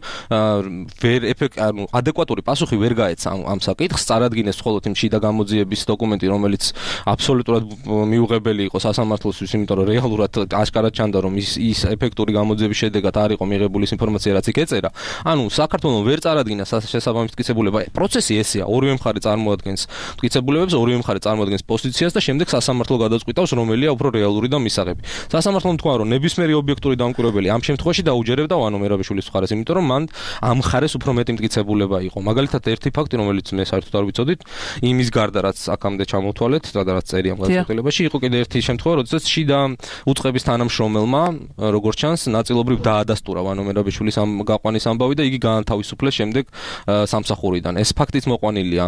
ვერ ეფექტ ანუ ადეკვატური პასუხი ვერ გაეცა ამ საკითხს, წარადგინეს მხოლოდ იმ შიდა გამოძიების დოკუმენტი, რომელიც აბსოლუტურად მიუღებელი იყო სასამართლოსთვის, იმიტომ რომ რეალურად აშკარად ჩანდა, რომ ის ის ეფექტური გამოძიების შედეგად არ იყო მიღებული ის ინფორმაცია, რაც იქ ეწერა. ანუ საქართველოს ვერ წარადგინა შესაბამის მტკიცებულება. პროცესი ესეა, ორივე მხარე წარმოადგენს მტკიცებულებებს, ორივე მხარე წარმოადგენს პოზიციას და შემდეგ სასამართლო გადაწყვიტავს, რომელია უფრო რეალური და მისაღები. სასამართლომ თქვა, რომ ნებისმიერი ობიექტური დამკვირვებელი ამ შემთხვევაში დაუჯერებდა ვანო ერაბიშვილის მხარეს, იმიტომ რომ მან ამ მხარეს უფრო მეტი მტკიცებულება იყო. მაგალითად, ერთი ფაქტი, რომელიც მე საერთოდ არ ვიცოდით, იმის გარდა რაც აქამდე ჩამოთვალეთ და რაც წერია ამ გადაწყვეტილებაში, იყო კიდე ერთი შემთხვევა, როდესაც შიდა უწყების თანამშრომელმა, როგორც ჩანს, ნაწილობრივ დაადასტურა ვანო ერაბიშვილის ამ გაყვანის ამბავი და იგი გაანთავისუფლეს შემდეგ სამსახურიდან. ეს ფაქტიც მოყვანილია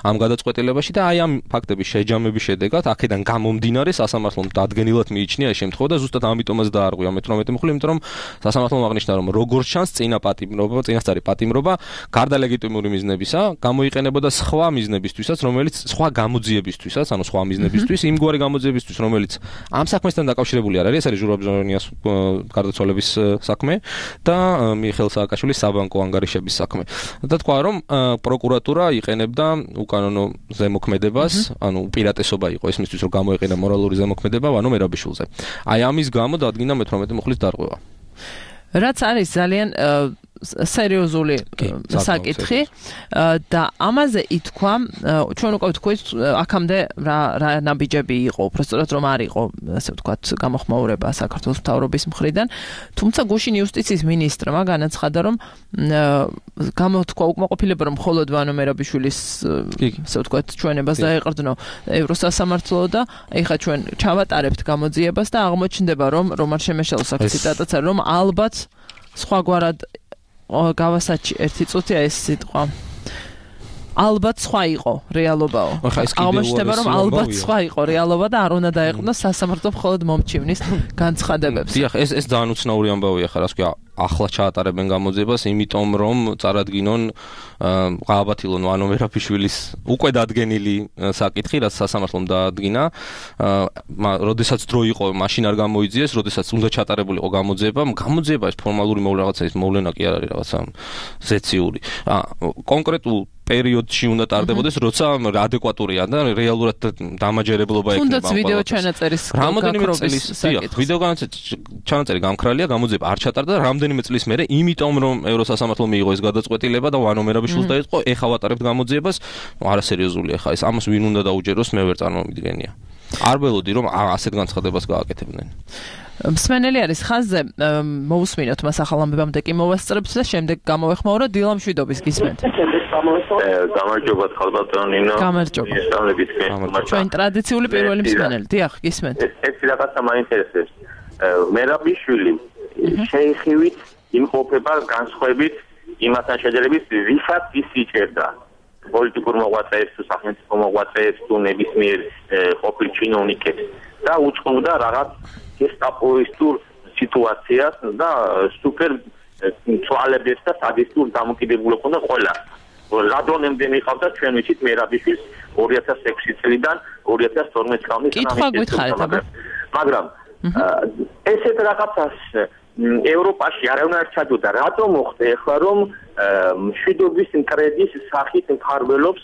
ამ გადაწყვეტილებაში და აი ამ ფაქტების შეჯამების შედეგად, აქედან გამომდინარე, სასამართლომ დადგენილად მიიჩნია ეს შემთხვევა და ზუსტად ამიტომაც დაარღვია მეთორმეტე მხრივ, იმიტომ რომ სასამართლომ აღნიშნა, რომ როგორც ჩანს, წინა პატიმრობა, წინასწარი პატიმრობა გარდა ლეგიტიმური მიზნებისა გამოიყენებოდა სხვა მიზნებისთვისაც, რომელიც სხვა გამოძიებისთვისაც, ანუ სხვა მიზნებისთვის, იმგვარი გამოძიებისთვის, რომელიც ამ საქმესთან დაკავშირებული არ არის, ეს არის ჟურაბჟონიას გარდაცვალების საქმე და მიხეილ სააკაშვილის საბანკო ანგარიშების საქმე. და თქვა, რომ პროკურატურა იყენებდა უკანონო ზემოქმედებას, ანუ უპირატესობა იყო ისმისთვის, რომ გამოეყენა მორალური ზემოქმედება ვანო ერაბიშვილზე. აი ამის გამო დადგინდა მეთორმეტე მუხლის დარღვევა. რაც არის ძალიან სერიოზული საკითხი და ამაზე ითქვა, ჩვენ უკვე ვთქვით, აქამდე რა რა ნაბიჯები იყო, უბრალოდ რომ არ იყო, ასე ვთქვათ, გამოხმაურება საქართველოს მთავრობის მხრიდან, თუმცა გუშინ იუსტიციის მინისტრმა განაცხადა, რომ გამოთქვა უკმაყოფილება, რომ მხოლოდ ვანო ერაბიშვილის, ასე ვთქვათ, ჩვენებას დაეყრდნო ევროსასამართლო და ეხლა ჩვენ ჩავატარებთ გამოძიებას და აღმოჩნდება, რომ რომან შემეშელოს აქ ციტატაც არის, რომ ალბათ სხვაგვარად გავასაჩი ერთი წუთია ეს სიტყვა. ალბათ სხვა იყო რეალობაო. აღმოჩნდება, რომ ალბათ სხვა იყო რეალობა და არ უნდა დაეყრდნოს სასამართლო მხოლოდ მომჩივნის განცხადებებს. დიახ, ეს ეს ძალიან უცნაური ამბავია ხარ, ასე ვთქვი, ახლა ჩაატარებენ გამოძიებას, იმიტომ რომ წარადგინონ გააბათილონ ვანო ერაბიშვილის უკვე დადგენილი საკითხი, რაც სასამართლომ დაადგინა. როდესაც დრო იყო, მაშინ არ გამოიძიეს, როდესაც უნდა ჩატარებულიყო გამოძიება, გამოძიება ეს ფორმალური მოვლენა, ის მოვლენა კი არ არის რაღაცა ზეციური. კონკრეტულ პერიოდში უნდა ტარდებოდეს, როცა ადეკვატურია და რეალურად დამაჯერებლობა ექნება. თუნდაც ვიდეო ჩანაწერის გაქრობის საკითხი. ვიდეო ჩანაწერი გამქრალია, გამოძიება არ ჩატარდა რამდენიმე წლის მერე, იმიტომ რომ ევროსასამართლომ მიიღო ეს გადაწყვეტილება და ვანო ერაბიშვილს დაიწყო, ეხა ვატარებთ გამოძიებას, არასერიოზულია ხა ეს. ამას ვინ უნდა დაუჯეროს, მე ვერ წარმოვიდგენია. არ ველოდი რომ ასეთ განცხადებას გააკეთებდნენ. მსმენელი არის ხაზზე, მოусმინოთ მას ახალ ამბებამდე კი მოვასწრებთ და შემდეგ გამოვეხმაუროთ დილა მშვიდობის გისმენთ. გამარჯობა ხალბატონინო. გამარჯობა. ჩვენ ტრადიციული პირველი მსმენელი, დიახ, გისმენთ. ეს რაღაცა მაინტერესებს. ერაბიშვილი შეიხივით იმყოფება განსხვავებით იმასთან შეჯერებით, ვისაც ის იჭერდა. პოლიტიკურ მოღვაწეებს, სახელმწიფო მოღვაწეებს, თუ ნებისმიერ ყოფილ ჩინოვნიკებს და უწყობდა რაღაც გესტაპოისტურ სიტუაციას და სუპერ ცვალებებს და სადისტურ დამოკიდებულებას უნდა ყველა. ლადონემდე მიყავდა ჩვენ ვიცით ერაბიშვილს ორი ათას ექვსი წლიდან ორი ათას თორმეტი წლის კითხვა გითხარით, მაგრამ ესეთ რაღაცას ევროპაში არავინ არ ჩადოდა. რატომ მოხდა ახლა რომ მშვიდობის კრედის სახით მფარველობს,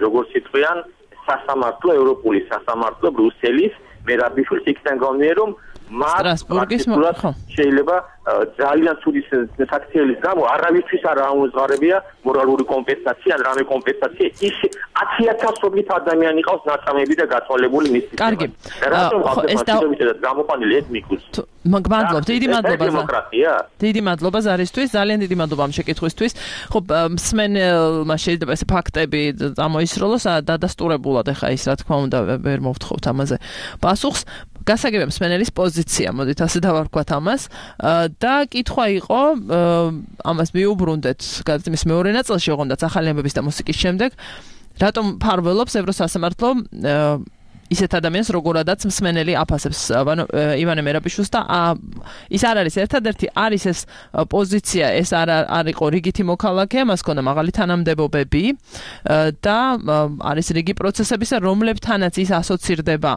როგორც იტყვიან, სასამართლო, ევროპული სასამართლო, ბრიუსელის ერაბიშვილს იქიდან გამომდინარე, რომ სტრასბურგის ხო შეიძლება ძალიან ცუდი საქციელის გამო არავისთვის არ ამოძღარებია მორალური კომპენსაცია ან რამე კომპენსაცია ის ათი ათას რობით ადამიანი ყავს ნაწამები და გაწოლებული მის კარგი ეს და გამოყვანილი ეთნიკუს მადლობა დიდი მადლობა დემოკრატია დიდი მადლობა ზარისთვის ძალიან დიდი მადლობა ამ შეკითხვისთვის ხო მსმენელმა შეიძლება ეს ფაქტები წამოისროლოს დადასტურებულად ეხა ის რა თქმა უნდა ვერ მოვთხოვთ ამაზე პასუხს გასაგებია მსმენელის პოზიცია მოდით ასე დავარქვათ ამას და კითხვა იყო ამას მიუბრუნდეთ გადაცემის მეორე ნაწილში ოღონდაც ახალი ამბების და მუსიკის შემდეგ რატომ ფარველობს ევროსასამართლო ისეთ ადამიანს როგორადაც მსმენელი აფასებს ივანე მერაბიშვილს და ის არ არის ერთადერთი არის ეს პოზიცია ეს არ არ იყო რიგითი მოქალაქე მას ჰქონდა მაღალი თანამდებობები და არის რიგი პროცესებისა რომლებთანაც ის ასოცირდება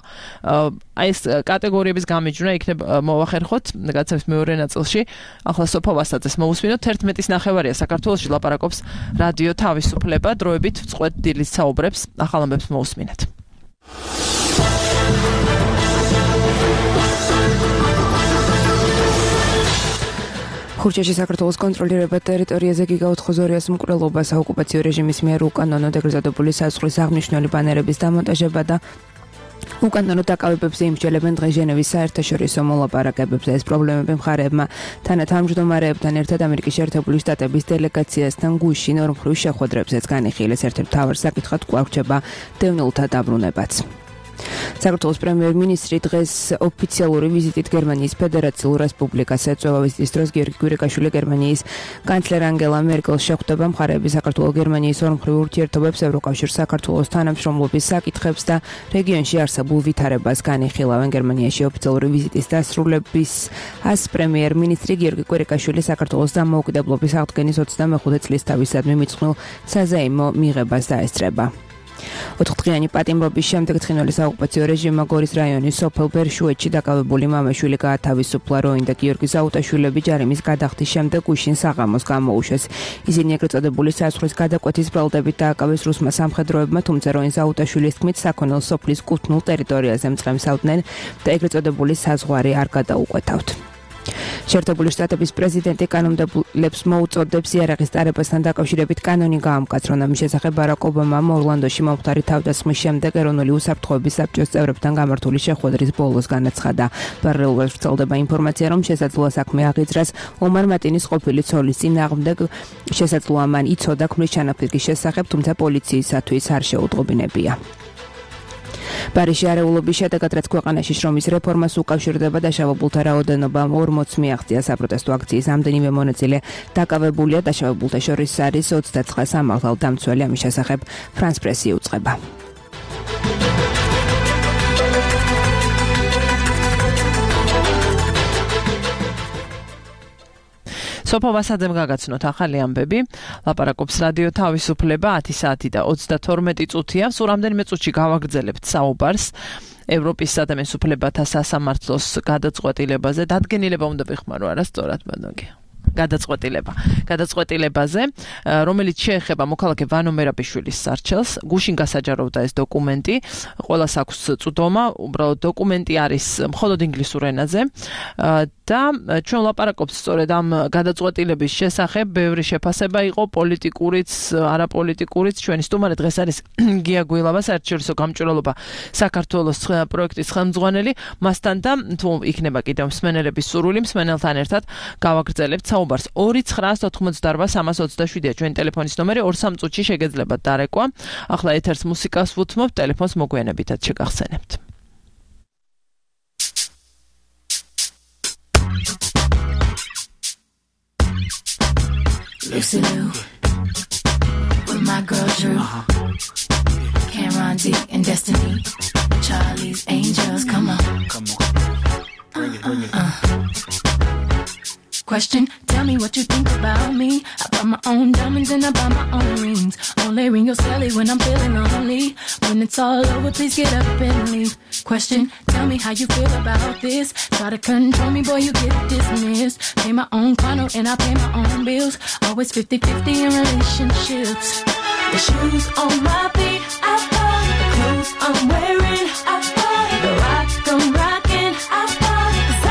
აი ეს კატეგორიების გამიჯვნა იქნება მოვახერხოთ გადაცემის მეორე ნაწილში ახლა სოფო ვასაძეს მოусმინოთ თერთმეტის ნახევარია საქართველოში ლაპარაკობს რადიო თავისუფლება დროებით წყვეტ დილის საუბრებს ახალ ამბებს მოусმინეთ ხურჩაში საქართველოს კონტროლირებად ტერიტორიაზე გიგაოთხოზორიას მკვლელობა საოკუპაციო რეჟიმის მიერ უკანონოდ ეგრეზადებული საზღვრის აღმნიშვნელი ბანერების დამონტაჟება და უკანონო დაკავებებზე იმსჯელებენ დღეს ჟენევის საერთაშორისო მოლაპარაკებებზე ეს პრობლემები მხარეებმა თანათავმჯდომარეებთან ერთად ამერიკის შეერთებული შტატების დელეგაციასთან გუშინ ორმხრივ შეხვედრებზეც განიხილეს ერთ-ერთ მთავარ საკითხად კვლავ რჩება დევნილთა დაბრუნებაც საქართველოს პრემიერ-მინისტრი დღეს ოფიციალური ვიზიტით გერმანიის ფედერაციულ რესპუბლიკას ეწევა ვიზიტის დროს გიორგი კვირიკაშვილი გერმანიის კანცლერ ანგელა მერკელს შეხვდება მხარეების საქართველოს გერმანიის ორმხრივ ურთიერთობებს ევროკავშირ საქართველოს თანამშრომლობის საკითხებს და რეგიონში არსებულ ვითარებას განიხილავენ გერმანიაში ოფიციალური ვიზიტის დასრულების ას პრემიერ-მინისტრი გიორგი კვირიკაშვილი საქართველოს დამოუკიდებლობის აღდგენის ოცდამეხუთე წლის თავისადმი მიძღვნილ საზეიმო მიღებას დაესწრება ოთხდღიანი პატიმრობის შემდეგ ცხინვალის საოკუპაციო რეჟიმმა გორის რაიონის სოფელ ბერშუეთში დაკავებული მამაშვილი გაათავისუფლა როინ და გიორგი ზაუტაშვილები ჯარიმის გადახდის შემდეგ უშინ საღამოს გამოუშვეს ისინი ეგრეთ წოდებული საზღვრის გადაკვეთის ბრალდებით დააკავეს რუსმა სამხედროებმა თუმცა როინ ზაუტაშვილის თქმით საქონელ სოფლის კუთვნილ ტერიტორიაზე მწყემსავდნენ და ეგრეთ წოდებული საზღვარი არ გადაუკვეთავთ შეერთებული შტატების პრეზიდენტი კანონმდებლებს მოუწოდებს იარაღის ტარებასთან დაკავშირებით კანონი გაამკაცრონ ამის შესახებ ბარაკ ობამამ ორლანდოში მომხდარი თავდასხმის შემდეგ ეროვნული უსაფრთხოების საბჭოს წევრებთან გამართული შეხვედრის ბოლოს განაცხადა პარალელურად ვრცელდება ინფორმაცია რომ შესაძლოა საქმე აღიძრას ომარ მატინის ყოფილი ცოლის წინააღმდეგ შესაძლოა მან იცოდა ქმრის ჩანაფიქრის შესახებ თუმცა პოლიციისათვის არ შეუწყობინებია პარიზში არეულობის შედეგად რაც ქვეყანაში შრომის რეფორმას უკავშირდება დაშავებულთა რაოდენობა ორმოც მიაღწია საპროტესტო აქციის ამდენივე მონაწილე დაკავებულია დაშავებულთა შორის არის ოცდაცხრა სამართალ დამცველი ამის შესახებ ფრანს პრესი უწყება სოფო ვასაძემ გაგაცნოთ ახალი ამბები ლაპარაკობს რადიო თავისუფლება ათი საათი და ოცდათორმეტი წუთია სულ რამდენიმე წუთში გავაგრძელებთ საუბარს ევროპის ადამიანის უფლებათა სასამართლოს გადაწყვეტილებაზე დადგენილება უნდა ვიხმარო არა სწორად ბანოგი გადაწყვეტილება გადაწყვეტილებაზე რომელიც შეეხება მოქალაქე ვანო მერაბიშვილის სარჩელს გუშინ გასაჯაროვდა ეს დოკუმენტი ყველას აქვს წვდომა უბრალოდ დოკუმენტი არის მხოლოდ ინგლისურ ენაზე და ჩვენ ლაპარაკობთ სწორედ ამ გადაწყვეტილების შესახებ ბევრი შეფასება იყო პოლიტიკურიც არაპოლიტიკურიც ჩვენი სტუმარი დღეს არის გია გვილავა საერთაშორისო გამჭვირვალობა საქართველოს პროექტის ხელმძღვანელი მასთან და თუ იქნება კიდევ მსმენელების სურვილი მსმენელთან ერთად გავაგრძელებთ საუბარს ორი ცხრა ოთხმოცდაოთხ სამას ოცდაშვიდია ჩვენი ტელეფონის ნომერი ორ სამ წუთში შეგეძლებათ დარეკვა ახლა ეთერს მუსიკას ვუთმობთ ტელეფონს მოგვიანებითაც შეგახსენებთ Lucy Lou with my girl Drew Cameron D and Destiny Charlie's Angels come on come on bring it bring it uh, uh. Question, tell me what you think about me. I buy my own diamonds and I buy my own rings. Only ring your celly when I'm feeling lonely. When it's all over, please get up and leave. Question, tell me how you feel about this. Try to control me, boy, you get dismissed. Pay my own condo and I pay my own bills. Always fifty-fifty in relationships. The shoes on my feet, I bought. The clothes I'm wearing, I bought. The rock I'm rocking, I bought. 'Cause I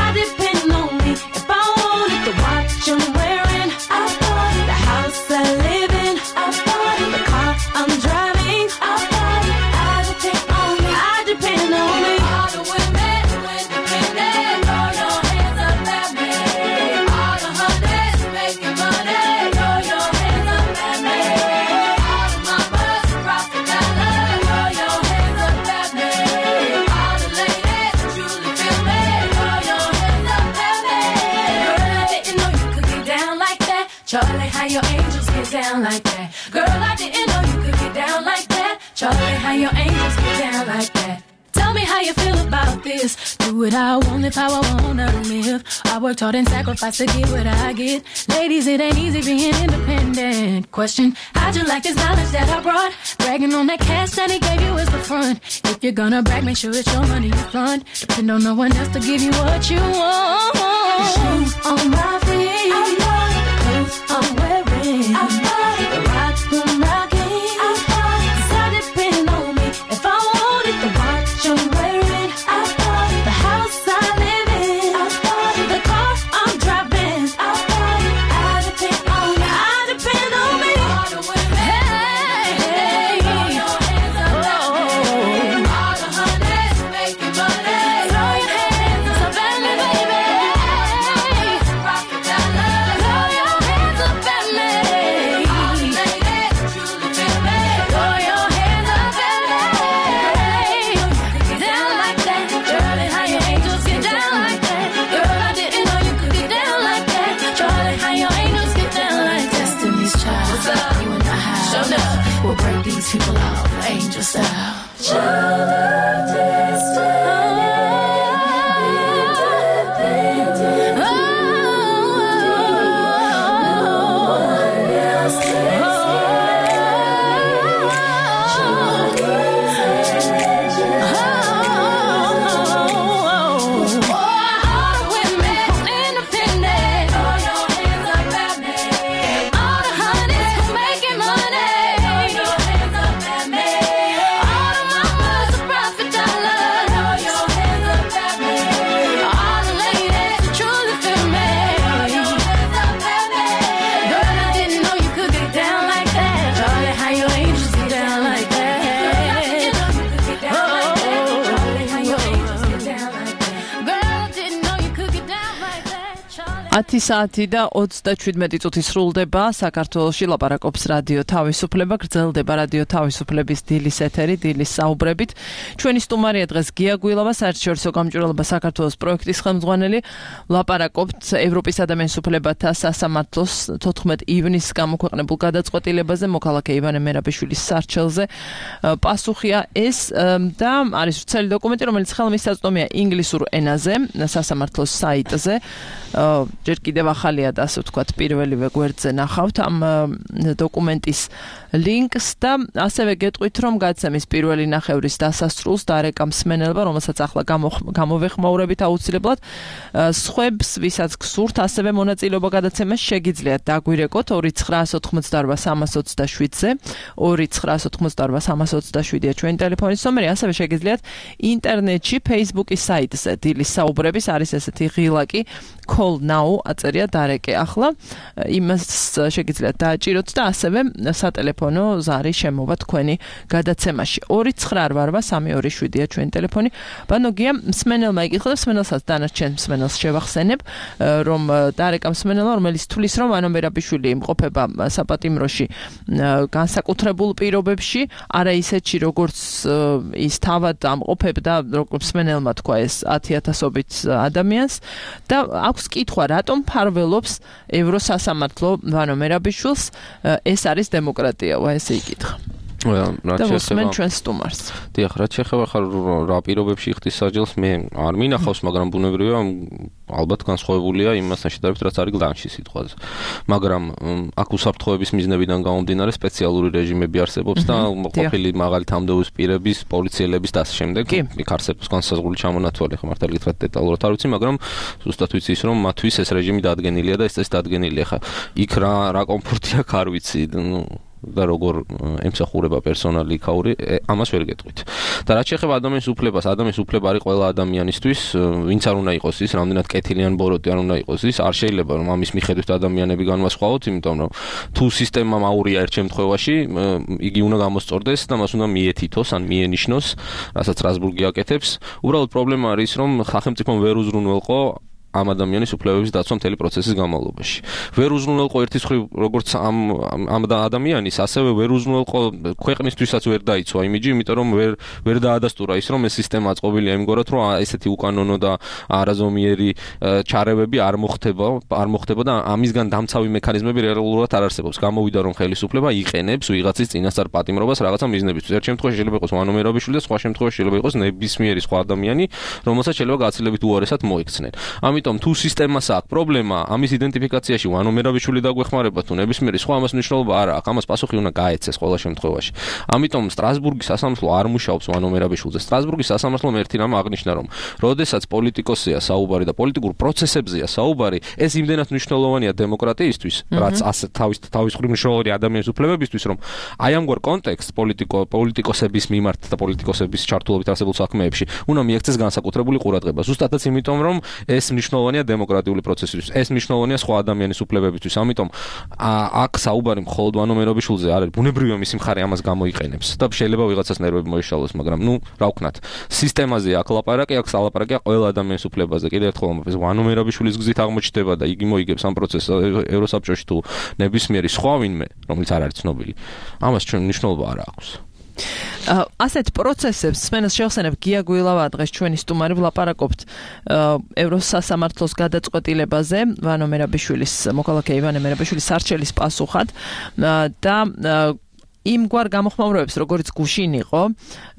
Charlie, how your angels get down like that? Girl, I didn't know you could get down like that. Charlie, how your angels get down like that? Tell me how you feel about this. Do what I want, live how I wanna live. I worked hard and sacrificed to get what I get. Ladies, it ain't easy being independent. Question, how'd you like this knowledge that I brought? Bragging on that cash that he gave you is the front. If you're gonna brag, make sure it's your money you fund. Depend on no one else to give you what you want. The shoes on my feet, I love the clothes I'm wearing, I love the rock I'm rocking, I love it. 'Cause I depend on me if I want it, the watch I'm wearing, I love it. The house I live in, I love it. The car I'm driving, I love it. I depend on me, I depend on me. All the women, hey, hey, throw your hands up, baby. All the honeys making money, throw your hands up, baby, baby. Rock the dollar, throw your hands up at me. All the ladies truly feel me, throw your hands up at me. Get down like that, Charlie, how your angels get down like that. Girl, I didn't know you could get down like that. Charlie, how your angels get down like that. Destiny's Child, what's up? You and I have shown up. We'll break these people off, angel style. Child of destiny. ათი საათი და ოცდაშვიდმეტი წუთი სრულდება საქართველოში ლაპარაკობს რადიო თავისუფლება, გრძელდება რადიო თავისუფლების დილის ეთერი, დილის საუბრებით. ჩვენი სტუმარია დღეს გია გვილავა, საერთაშორისო გამჭვირვალობა საქართველოს პროექტის ხელმძღვანელი. ლაპარაკობთ ევროპის ადამიანის უფლებათა სასამართლოს თოთხმეტ ივნისს გამოქვეყნებულ გადაწყვეტილებაზე, მოქალაქე ივანე მერაბიშვილის სარჩელზე. პასუხია ეს და არის ვრცელი დოკუმენტი, რომელიც ხელმისაწვდომია ინგლისურ ენაზე, სასამართლოს საიტზე. ჯერ კიდევ ახალია და ასე ვთქვათ პირველივე გვერდზე ნახავთ ამ დოკუმენტის ლინკს და ასევე გეტყვით რომ გაცემის პირველი ნახევრის დასასრულს დარეკა მსმენელობა რომელსაც ახლა გამოვეხმაურებით აუცილებლად სხვებს ვისაც გსურთ ასევე მონაწილეობა გადაცემას შეგიძლიათ დაგვირეკოთ ორი ცხრაას ოთხმოცდაორვა სამას ოცდაშვიდზე ორი ცხრაას ოთხმოცდაორვა სამას ოცდაშვიდია ჩვენი ტელეფონის ნომერი ასევე შეგიძლიათ ინტერნეტში Facebook-ის საიტზე დილის საუბრების არის ესეთი ღილაკი call now აწერია დარეკე ახლა იმას შეგიძლიათ დააჭიროთ და ასევე სატელეფონო ზარი შემოვა თქვენი გადაცემაში ორი ცხრა ორი სამი ორი შვიდია ჩვენი ტელეფონი ბანო გია მსმენელმა იკითხა და მსმენელსაც დანარჩენ მსმენელს შევახსენებ რომ დარეკა მსმენელმა რომელიც თulis რომ ანო მერაბიშვილი იმყოფება საპატიმროში განსაკუთრებულ პირობებში არა ისეთში როგორც ის თავად ამყოფებდა როგორც მსმენელმა თქვა ეს ათი ათასობით ადამიანს და აქვს კითხვა რატომ ფარველობს ევროსასამართლო ვანო მერაბიშვილს ეს არის დემოკრატია ვა ესე იკითხა და მოსმენ ჩვენს სტუმარს დიახ რაც შეეხება ხარ რა პირობებში იხდის საჯელს მე არ მინახავს მაგრამ ბუნებრივია ალბათ განსხვავებულია იმასთან შედარებით რაც არის გლანში სიტყვაზე მაგრამ აქ უსაფრთხოების მიზნებიდან გამომდინარე სპეციალური რეჟიმები არსებობს და ყოფილი მაღალი თანამდებობის პირების პოლიციელების და ასე შემდეგ იქ არსებობს განსაზღვრული ჩამონათვალი ხა მართალი გითხრათ დეტალურად არ ვიცი მაგრამ ზუსტად ვიცი ის რომ მათთვის ეს რეჟიმი დადგენილია და ეს წესი დადგენილია ხა იქ რა რა კომფორტი აქვს არ ვიცი ნუ და როგორ ემსახურება პერსონალი იქაური ამას ვერ გეტყვით. და რაც შეეხება ადამიანის უფლებას, ადამიანის უფლება არის ყველა ადამიანისთვის, ვინც არ უნდა იყოს ის, რამდენად კეთილი ან ბოროტი არ უნდა იყოს ის, არ შეიძლება რომ ამის მიხედვით ადამიანები განვასხვაოთ, იმიტომ რომ თუ სისტემამ აურია ერთ შემთხვევაში, იგი უნდა გამოსწორდეს და მას უნდა მიეთითოს ან მიენიშნოს, რასაც რასბურგი აკეთებს. უბრალოდ პრობლემა არის რომ სახელმწიფომ ვერ უზრუნველყო ამ ადამიანის უფლებების დაცვა მთელი პროცესის განმავლობაში. ვერ უზრუნველყო ერთის მხრივ როგორც ამ ამ ადამიანის, ასევე ვერ უზრუნველყო ქვეყნისთვისაც ვერ დაიცვა იმიჯი, იმიტომ რომ ვერ ვერ დაადასტურა ის რომ ეს სისტემა აწყობილია იმგვარად, რომ ესეთი უკანონო და არაზომიერი ჩარევები არ მოხდება, არ მოხდება და ამისგან დამცავი მექანიზმები რეალურად არ არსებობს. გამოვიდა რომ ხელისუფლება იყენებს ვიღაცის წინასწარ პატიმრობას რაღაცა მიზნებისთვის. ერთ შემთხვევაში შეიძლება იყოს ვანო მერაბიშვილი და სხვა შემთხვევაში შეიძლება იყოს ნებისმიერი სხვა ადამიანი, რომელსაც შეიძლება გაცილებით უარესად მოიქცნენ. ამიტომ თუ სისტემას აქვს პრობლემა ამის იდენტიფიკაციაში ვანო მერაბიშვილი დაგვეხმარება თუ ნებისმიერი სხვა ამას მნიშვნელობა არ აქვს. ამას პასუხი უნდა გაეცეს ყველა შემთხვევაში. ამიტომ სტრასბურგის სასამართლო არ მუშაობს ვანო მერაბიშვილზე. სტრასბურგის სასამართლომ ერთი რამ აღნიშნა რომ როდესაც პოლიტიკოსია საუბარი და პოლიტიკურ პროცესებზეა საუბარი, ეს იმდენად მნიშვნელოვანია დემოკრატიისთვის, რაც ასე თავის თავის მხრივ მნიშვნელოვანია ადამიანის უფლებებისთვის, რომ აი ამგვარ კონტექსტს პოლიტიკო პოლიტიკოსების მიმართ და პოლიტიკოსების ჩართულობით არსებულ საქმეებში უნდა მიექცეს განსაკუთრებული ყურადღება. ზუსტადაც იმიტომ, რომ ეს მნიშვნელოვანია დემოკრატიული პროცესისთვის, ეს მნიშვნელოვანია სხვა ადამიანის უფლებებისთვის. ამიტომ აქ საუბარი მხოლოდ ვანო მერაბიშვილზე არ არის. ბუნებრივია მისი მხარე ამას გამოიყენებს და შეიძლება ვიღაცას ნერვები მოიშალოს, მაგრამ ნუ რა ვქნათ. სისტემაზე აქ ლაპარაკი, აქ სალაპარაკია ყველა ადამიანის უფლებაზე. კიდევ ერთხელ ამბობ, ვანო მერაბიშვილის გზით აღმოჩნდება და იგი მოიგებს ამ პროცესს ევროსაბჭოში თუ ნებისმიერი სხვა ვინმე, რომელიც არ არის ცნობილი. ამას ჩვენ მნიშვნელობა არ აქვს. ასეთ პროცესებს სმენას შევხსენებ გია გვილავა დღეს ჩვენი სტუმარი ვლაპარაკობთ ევროსასამართლოს გადაწყვეტილებაზე ვანო მერაბიშვილის მოქალაქე ივანე მერაბიშვილის სარჩელის პასუხად და იმგვარ გამოხმაურებებს, როგორც გუშინ იყო,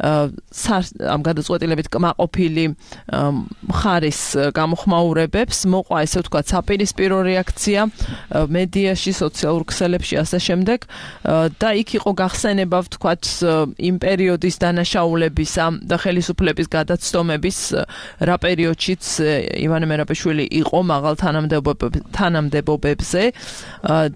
ამ გადაწყვეტილებით კმაყოფილი მხარის გამოხმაურებებს მოყვა ესე ვთქვათ საპირისპირო რეაქცია მედიაში, სოციალურ ქსელებში ასე შემდეგ და იქ იყო გახსენება ვთქვათ იმ პერიოდის დანაშაულებისა და ხელისუფლების გადაცდომების რა პერიოდშიც ივანე მერაბიშვილი იყო მაღალ თანამდებობებზე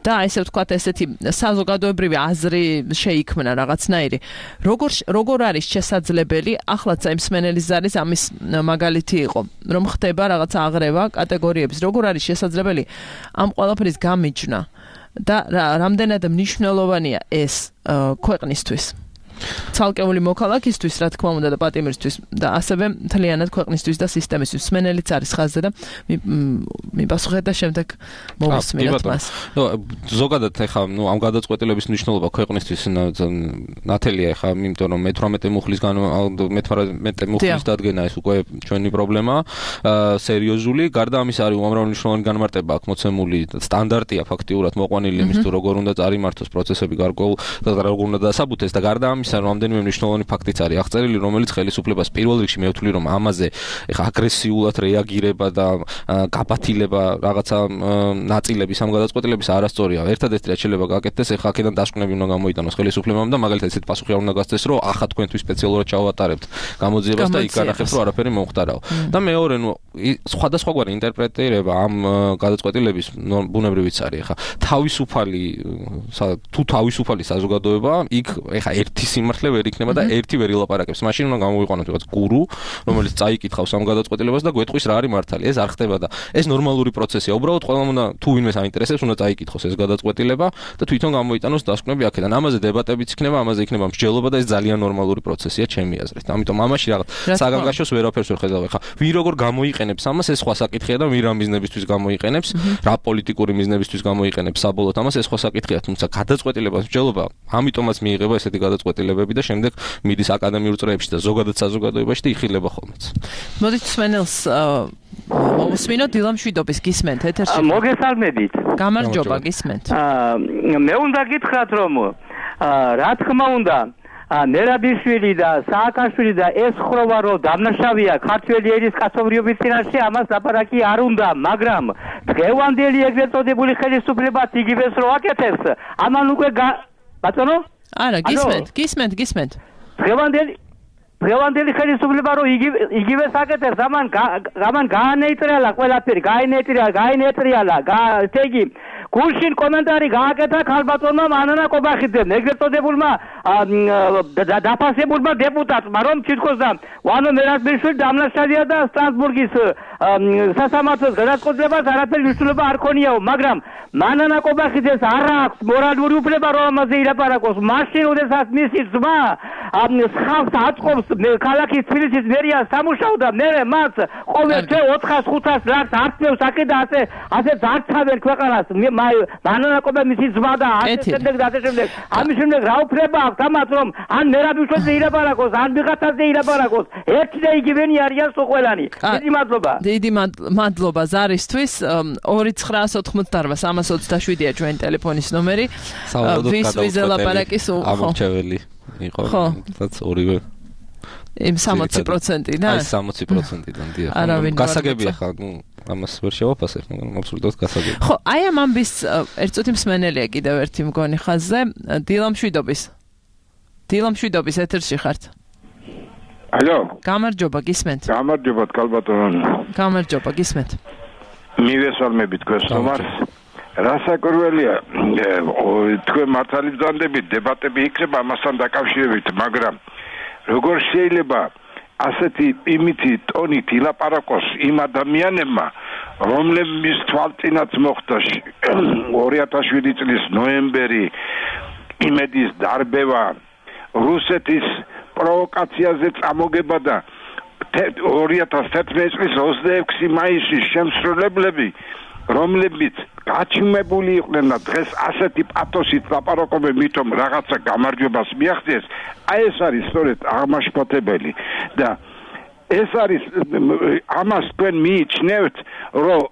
და ესე ვთქვათ ესეთი საზოგადოებრივი აზრი შეიქმნა რაღაცნაირი. როგორ როგორ არის შესაძლებელი, ახლა წაიმ სმენელის ზარის ამის მაგალითი იყო, რომ ხდება რაღაცა აღრევა კატეგორიების, როგორ არის შესაძლებელი ამ ყველაფრის გამიჯნა და რამდენად მნიშვნელოვანია ეს ქვეყნისთვის. ცალკეული მოქალაქისთვის, რა თქმა უნდა და პატიმრისთვის და ასევე მთლიანად ქვეყნისთვის და სისტემისთვის. სმენელიც არის ხაზზე და მიპასუხეთ და შემდეგ მოვისმინოთ მას. ზოგადად ეხა ნუ ამ გადაწყვეტილების მნიშვნელობა ქვეყნისთვის ნათელია ეხა, იმიტომ რომ მეთვრამეტე მუხლის მეთვრამეტე მუხლის დადგენა ეს უკვე ჩვენი პრობლემაა, სერიოზული. გარდა ამისა არის უამრავი მნიშვნელოვანი განმარტება აქ მოცემული, სტანდარტია ფაქტიურად მოყვანილი იმის თუ როგორ უნდა წარიმართოს პროცესები გარკვეულ და როგორ უნდა დასაბუთეს და გარდა ამისა რამდენიმე მნიშვნელოვანი ფაქტიც არის აღწერილი, რომელიც ხელისუფლებას პირველ რიგში მე ვთვლი, რომ ამაზე ეხა აგრესიულად რეაგირება და გაბათილება რაღაცა ნაწილების ამ გადაწყვეტილების არასწორია. ერთადერთი რაც შეიძლება გაკეთდეს, ეხა აქედან დასკვნები უნდა გამოიტანოს ხელისუფლებამ და მაგალითად ესეთ პასუხი არ უნდა გასცეს, რომ ახლა თქვენთვის სპეციალურად ჩავატარებთ გამოძიებას და იქ განახებთ, რომ არაფერი მომხდარაო. და მეორე, ნუ სხვადასხვაგვარი ინტერპრეტირება ამ გადაწყვეტილების ბუნებრივიც არის. ეხა თავისუფალი თუ თავისუფალი საზოგადოება, იქ ეხა ერთი სიმართლე ვერ იქნება და ერთი ვერ ილაპარაკებს. მაშინ უნდა გამოვიყვანოთ რაღაც გურუ, რომელიც წაიკითხავს ამ გადაწყვეტილებას და გვეტყვის რა არის მართალი. ეს არ ხდება და ეს ნორმალური პროცესია. უბრალოდ ყველამ უნდა თუ ვინმე საინტერესებს, უნდა წაიკითხოს ეს გადაწყვეტილება და თვითონ გამოიტანოს დასკვნები აქედან. ამაზე დებატებიც იქნება, ამაზე იქნება მსჯელობა და ეს ძალიან ნორმალური პროცესია ჩემი აზრით. ამიტომ ამაში რაღაც საგანგაშოს ვერაფერს ვერ ხედავ. ეხა ვინ როგორ გამოიყენებს ამას, ეს სხვა საკითხია და ვინ რა მიზნებისთვის გამოიყენებს, რა პოლიტიკური მიზნებისთვის გამოიყენებს საბოლოოდ ამას, ეს სხვა საკითხია. თუმცა გადაწყვეტილებას მსჯელობა, ამიტომაც მიიღება ესეთი გადაწყვეტილებები და შემდეგ მიდის აკადემიურ წრეებში და ზოგადად საზოგადოებაში და იხილება ხოლმეც. მოდით სმენელს მოვუსმინოთ დილამშვიდობის გისმენთ ეთერში. მოგესალმებით. გამარჯობა გისმენთ. მე უნდა გითხრათ რომ რა თქმა უნდა მერაბიშვილი და სააკაშვილი და ეს ხროვა რომ დამნაშავეა ქართველი ერის კაცობრიობის წინაშე, ამას ლაპარაკი არ უნდა, მაგრამ დღევანდელი ეგრეთ წოდებული ხელისუფლებას იგივეს რო აკეთებს, ამან უკვე ბატონო? არა, გისმენთ, გისმენთ, გისმენთ. დღევანდელი დღევანდელი ხელისუფლება რო იგივეს აკეთებს, ამან ამან გაანეიტრიალა ყველაფერი, გაანეიტრიალა, გაანეიტრიალა, ესე იგი გუშინ კომენტარი გააკეთა ქალბატონმა მანანა კობახიძემ, ეგრეთ წოდებულმა დაფასებულმა დეპუტატმა, რომ თითქოს და ვანო მერაბიშვილი დამნაშავეა და სტრასბურგის სასამართლოს გადაწყვეტილებას არაფერი მნიშვნელობა არ ქონიაო, მაგრამ მანანა კობახიძეს არ აქვს მორალური უფლება რომ ამაზე ილაპარაკოს. მაშინ ოდესაც მისი ძმა ხალხს აწყობს ქალაქის თბილისის მერიას სამუშაო და მე მას ყოველ თვე ოთხას ხუთას ლარს არწევს აქე და ასე ასე ძარცავენ ქვეყანას. მანანა კობა მისი ძმა და ასე შემდეგ და ასე შემდეგ. ამის შემდეგ რა უფლება აქვს ამას რომ ან მერაბიშვილზე ილაპარაკოს, ან ვიღაცაზე ილაპარაკოს. ერთი და იგივენი არიან სულ ყველანი. დიდი მადლობა. დიდი მადლობა ზარისთვის. ორი ცხრაას ოთხმოცდაარბა სამას ოცდაშვიდია ჩვენი ტელეფონის ნომერი. ვის ვიზე ლაპარაკის ამორჩეველი იყო. რაც ორივე იმ სამოცი პროცენტიდან? აი სამოცი პროცენტიდან დიახ. გასაგებია ხა, ნუ ამას ვერ შევაფასებ, მაგრამ აბსოლუტურად გასაგებია. ხო, აი ამ ამბის ერთ წუთი მსმენელია კიდევ ერთი მგონი ხაზზე. დილა მშვიდობის. დილა მშვიდობის ეთერში ხართ. ალო. გამარჯობა, გისმენთ. გამარჯობა, კალბატონო. გამარჯობა, გისმენთ. მივესალმებით გესწომარს. რასაკურველია, თქვენ მართალი ბრძანდებით, დებატები იქნება ამასთან დაკავშირებით, მაგრამ როგორ შეიძლება ასეთი იმითი ტონით ილაპარაკოს იმ ადამიანებმა, რომლებიც თვალწინაც მოხდა ორი ათას შვიდი წლის ნოემბერი, იმედის დარბევა, რუსეთის პროვოკაციაზე წამოგება და ორი ათას თერთმეტი წლის ოცდაექვსი მაისის შემსრულებლები, რომლებიც გაჩიმებული იყვნენ და დღეს ასეთი პათოსით ლაპარაკობენ, მithom რაღაცა გამარჯვებას მიაღწიეს, აი ეს არის სწორედ აღმაშფოთებელი და ეს არის ამას თქვენ მიიჩნევთ, რომ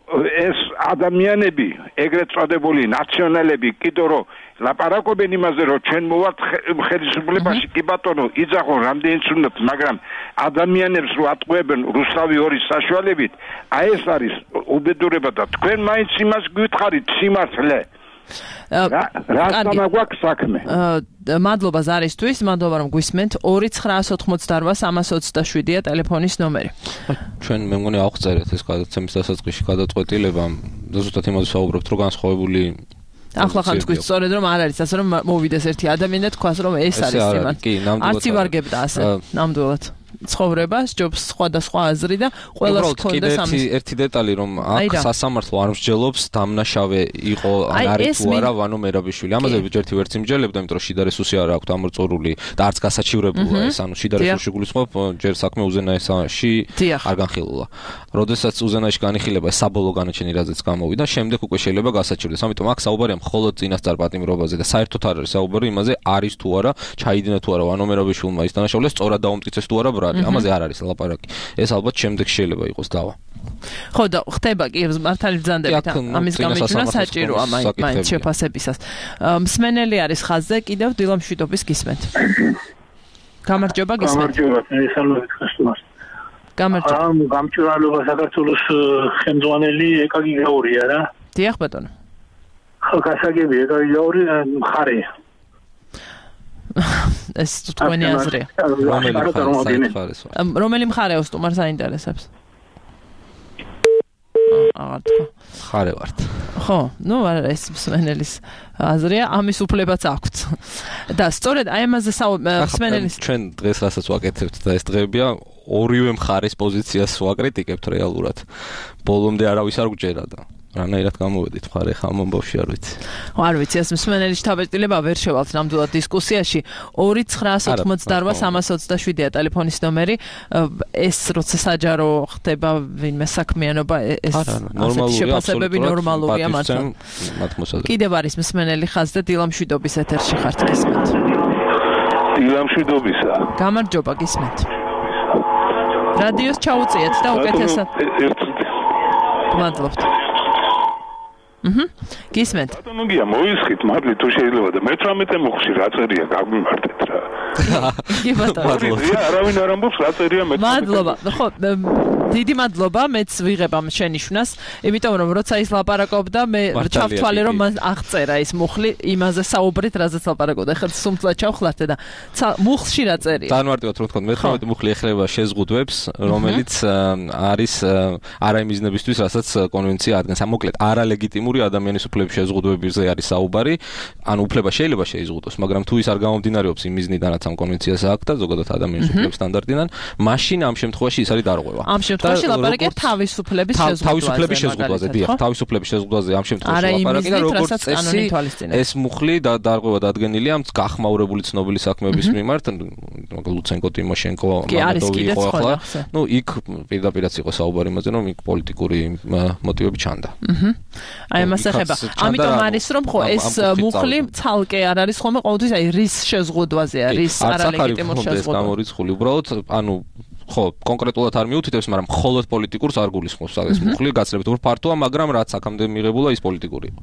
ეს ადამიანები, ეგრეთ წოდებული ნაციონალები, კიდევ რომ ლაპარაკობენ იმაზე, რომ ჩვენ მოვართ ხელისუფლებაში, კი ბატონო, იძახონ რამდენიც უნდათ, მაგრამ ადამიანებს რო ატყუებენ რუსთავი ორის საშუალებით, აი ეს არის უბედურება და თქვენ მაინც იმას გვითხარით სიმართლე. რა სამაგვაქვს საქმე? მადლობა ზარისთვის, მადლობა რომ გვისმენთ. ორი ცხრაას ოთხმოცდაარბა სამას ოცდაშვიდია ტელეფონის ნომერი. ჩვენ მე მგონი ავწერეთ ეს გადაცემის დასაწყისში გადაწყვეტილება, ზუსტად იმაზე საუბრობთ, რომ განსხვავებული ახლა ხან თქვით სწორედ რომ არ არის ასე რომ მოვიდეს ერთი ადამიანი და თქვას რომ ეს არის იმან. არც ივარგებდა ასე ნამდვილად. ცხოვრებას, ჯობს სხვადასხვა აზრი და ყველას ჰქონდეს ამის. ერთი ერთი დეტალი რომ აქ სასამართლო არ მსჯელობს დამნაშავე იყო ან არის თუ არა ვანო მერაბიშვილი. ამაზე ერთი ვერც იმჯელებდა, იმიტომ რომ შიდა რესურსი არ აქვს ამორწურული და არც გასაჩივრებულა ეს, ანუ შიდა რესურსი გულისხმობ ჯერ საქმე უზენაესში არ განხილულა. როდესაც უზენაეში განიხილება საბოლოო განაჩენი რაზეც გამოვიდა, შემდეგ უკვე შეიძლება გასაჩივრდეს. ამიტომ აქ საუბარია მხოლოდ წინასწარ პატიმრობაზე და საერთოდ არ არის საუბარი იმაზე არის თუ არა, ჩაიდინა თუ არა ვანო მერაბიშვილმა ის დანაშაულე, სწორად დაუმტკიცეს თუ არა ბრალი. ამაზე არ არის ლაპარაკი. ეს ალბათ შემდეგ შეიძლება იყოს დავა. ხო და ხდება კი მართალი ბრძანდებით ამის გამიჩნევა საჭიროა მაინც შეფასებისას. მსმენელი არის ხაზზე, კიდევ დილა მშვიდობის გისმენთ. გამარჯობა გისმენთ. გამარჯობა, მისალმებით გასულას. გამარჯობა. ამ გამჭვირვალობა საქართველოს ხელმძღვანელი ეკაგი გაურია რა. დიახ ბატონო. ხო, გასაგები ეკაგი გაური მხარე. ეს თქვენი აზრია. რომელი მხარე უსტუმარს აინტერესებს? აღარ თქვა. მხარე ვართ. ხო, ნუ არა ეს მსმენელის აზრია, ამის უფლებაც აქვს. და სწორედ აი ამაზე მსმენელის ჩვენ დღეს რასაც ვაკეთებთ და ეს დღეებია ორივე მხარის პოზიციას ვაკრიტიკებთ რეალურად. ბოლომდე არავის არ გჯერა და რანაირად გამოვედით მხარე ხა ამ ამბავში არ ვიცი. არ ვიცი, ეს მსმენელის თავდაპირველება ვერ შევალთ ნამდვილად დისკუსიაში. ორი ცხრაას ოთხმოცდაარბა სამას ოცდაშვიდია ტელეფონის ნომერი. ეს როცა საჯარო ხდება ვინმე საქმიანობა, ეს ასეთი შეფასებები ნორმალურია მართლა. კიდევ არის მსმენელი ხაზზე, დილა მშვიდობის ეთერში ხართ გისმენთ. დილა მშვიდობისა. გამარჯობა გისმენთ. რადიოს ჩაუწიეთ და უკეთესად. მადლობთ. აჰა. გისმენთ. ბატონო გია მოისხით მადლი თუ შეიძლება და მეთვრამეტე მოხში რა წერია გამიმართეთ რა. კი ბატონო. მადლობა. არავინ არ ამბობს რა წერია მეთვრამეტე. მადლობა. ხო, დიდი მადლობა, მეც ვიღებ ამ შენიშვნას, იმიტომ რომ როცა ის ლაპარაკობდა, მე ჩავთვალე რომ მას აღწერა ის მუხლი იმაზე საუბრით, რაზეც ლაპარაკობდა. ეხლა სუმწლად ჩავხლარდე და მუხლში რა წერია. განმარტივად რომ თქვა, მეთვრამეტე მუხლი ეხება შეზღუდვებს, რომელიც არის არა იმ მიზნებისთვის, რასაც კონვენცია ადგენს. მოკლედ, არალეგიტიმური ადამიანის უფლების შეზღუდვებზე არის საუბარი. ანუ უფლება შეიძლება შეიზღუდოს, მაგრამ თუ ის არ გამომდინარეობს იმ მიზნიდანაც ამ კონვენციას აქვს და ზოგადად ადამიანის უფლების სტანდარტიდან, მაშინ ამ შემთხვევაში ის არის დარღვევა. ამ შემთხვევაში შემთხვევაში ლაპარაკია თავისუფლების შეზღუდვაზე. თავისუფლების შეზღუდვაზე, დიახ, თავისუფლების შეზღუდვაზე ამ შემთხვევაში ლაპარაკია, როგორც წესი ეს მუხლი და დარღვევა დადგენილია გახმაურებული ცნობილი საქმეების მიმართ, ლუცენკო, ტიმოშენკო, მამედოვი იყო ახლა. ნუ იქ პირდაპირაც იყო საუბარი იმაზე, რომ იქ პოლიტიკური მოტივები ჩანდა. აჰა. აი ამას ეხება. ამიტომ არის რომ ხო ეს მუხლი ცალკე არ არის ხოლმე ყოველთვის აი რის შეზღუდვაზეა, რის არალეგიტიმურ შეზღუდვაზე. გამორიცხული უბრალოდ ანუ ხო კონკრეტულად არ მიუთითებს, მაგრამ მხოლოდ პოლიტიკურს არ გულისხმობს ეს მუხლი, გაცილებით უფრო ფართოა, მაგრამ რაც აქამდე მიღებულა ის პოლიტიკური იყო.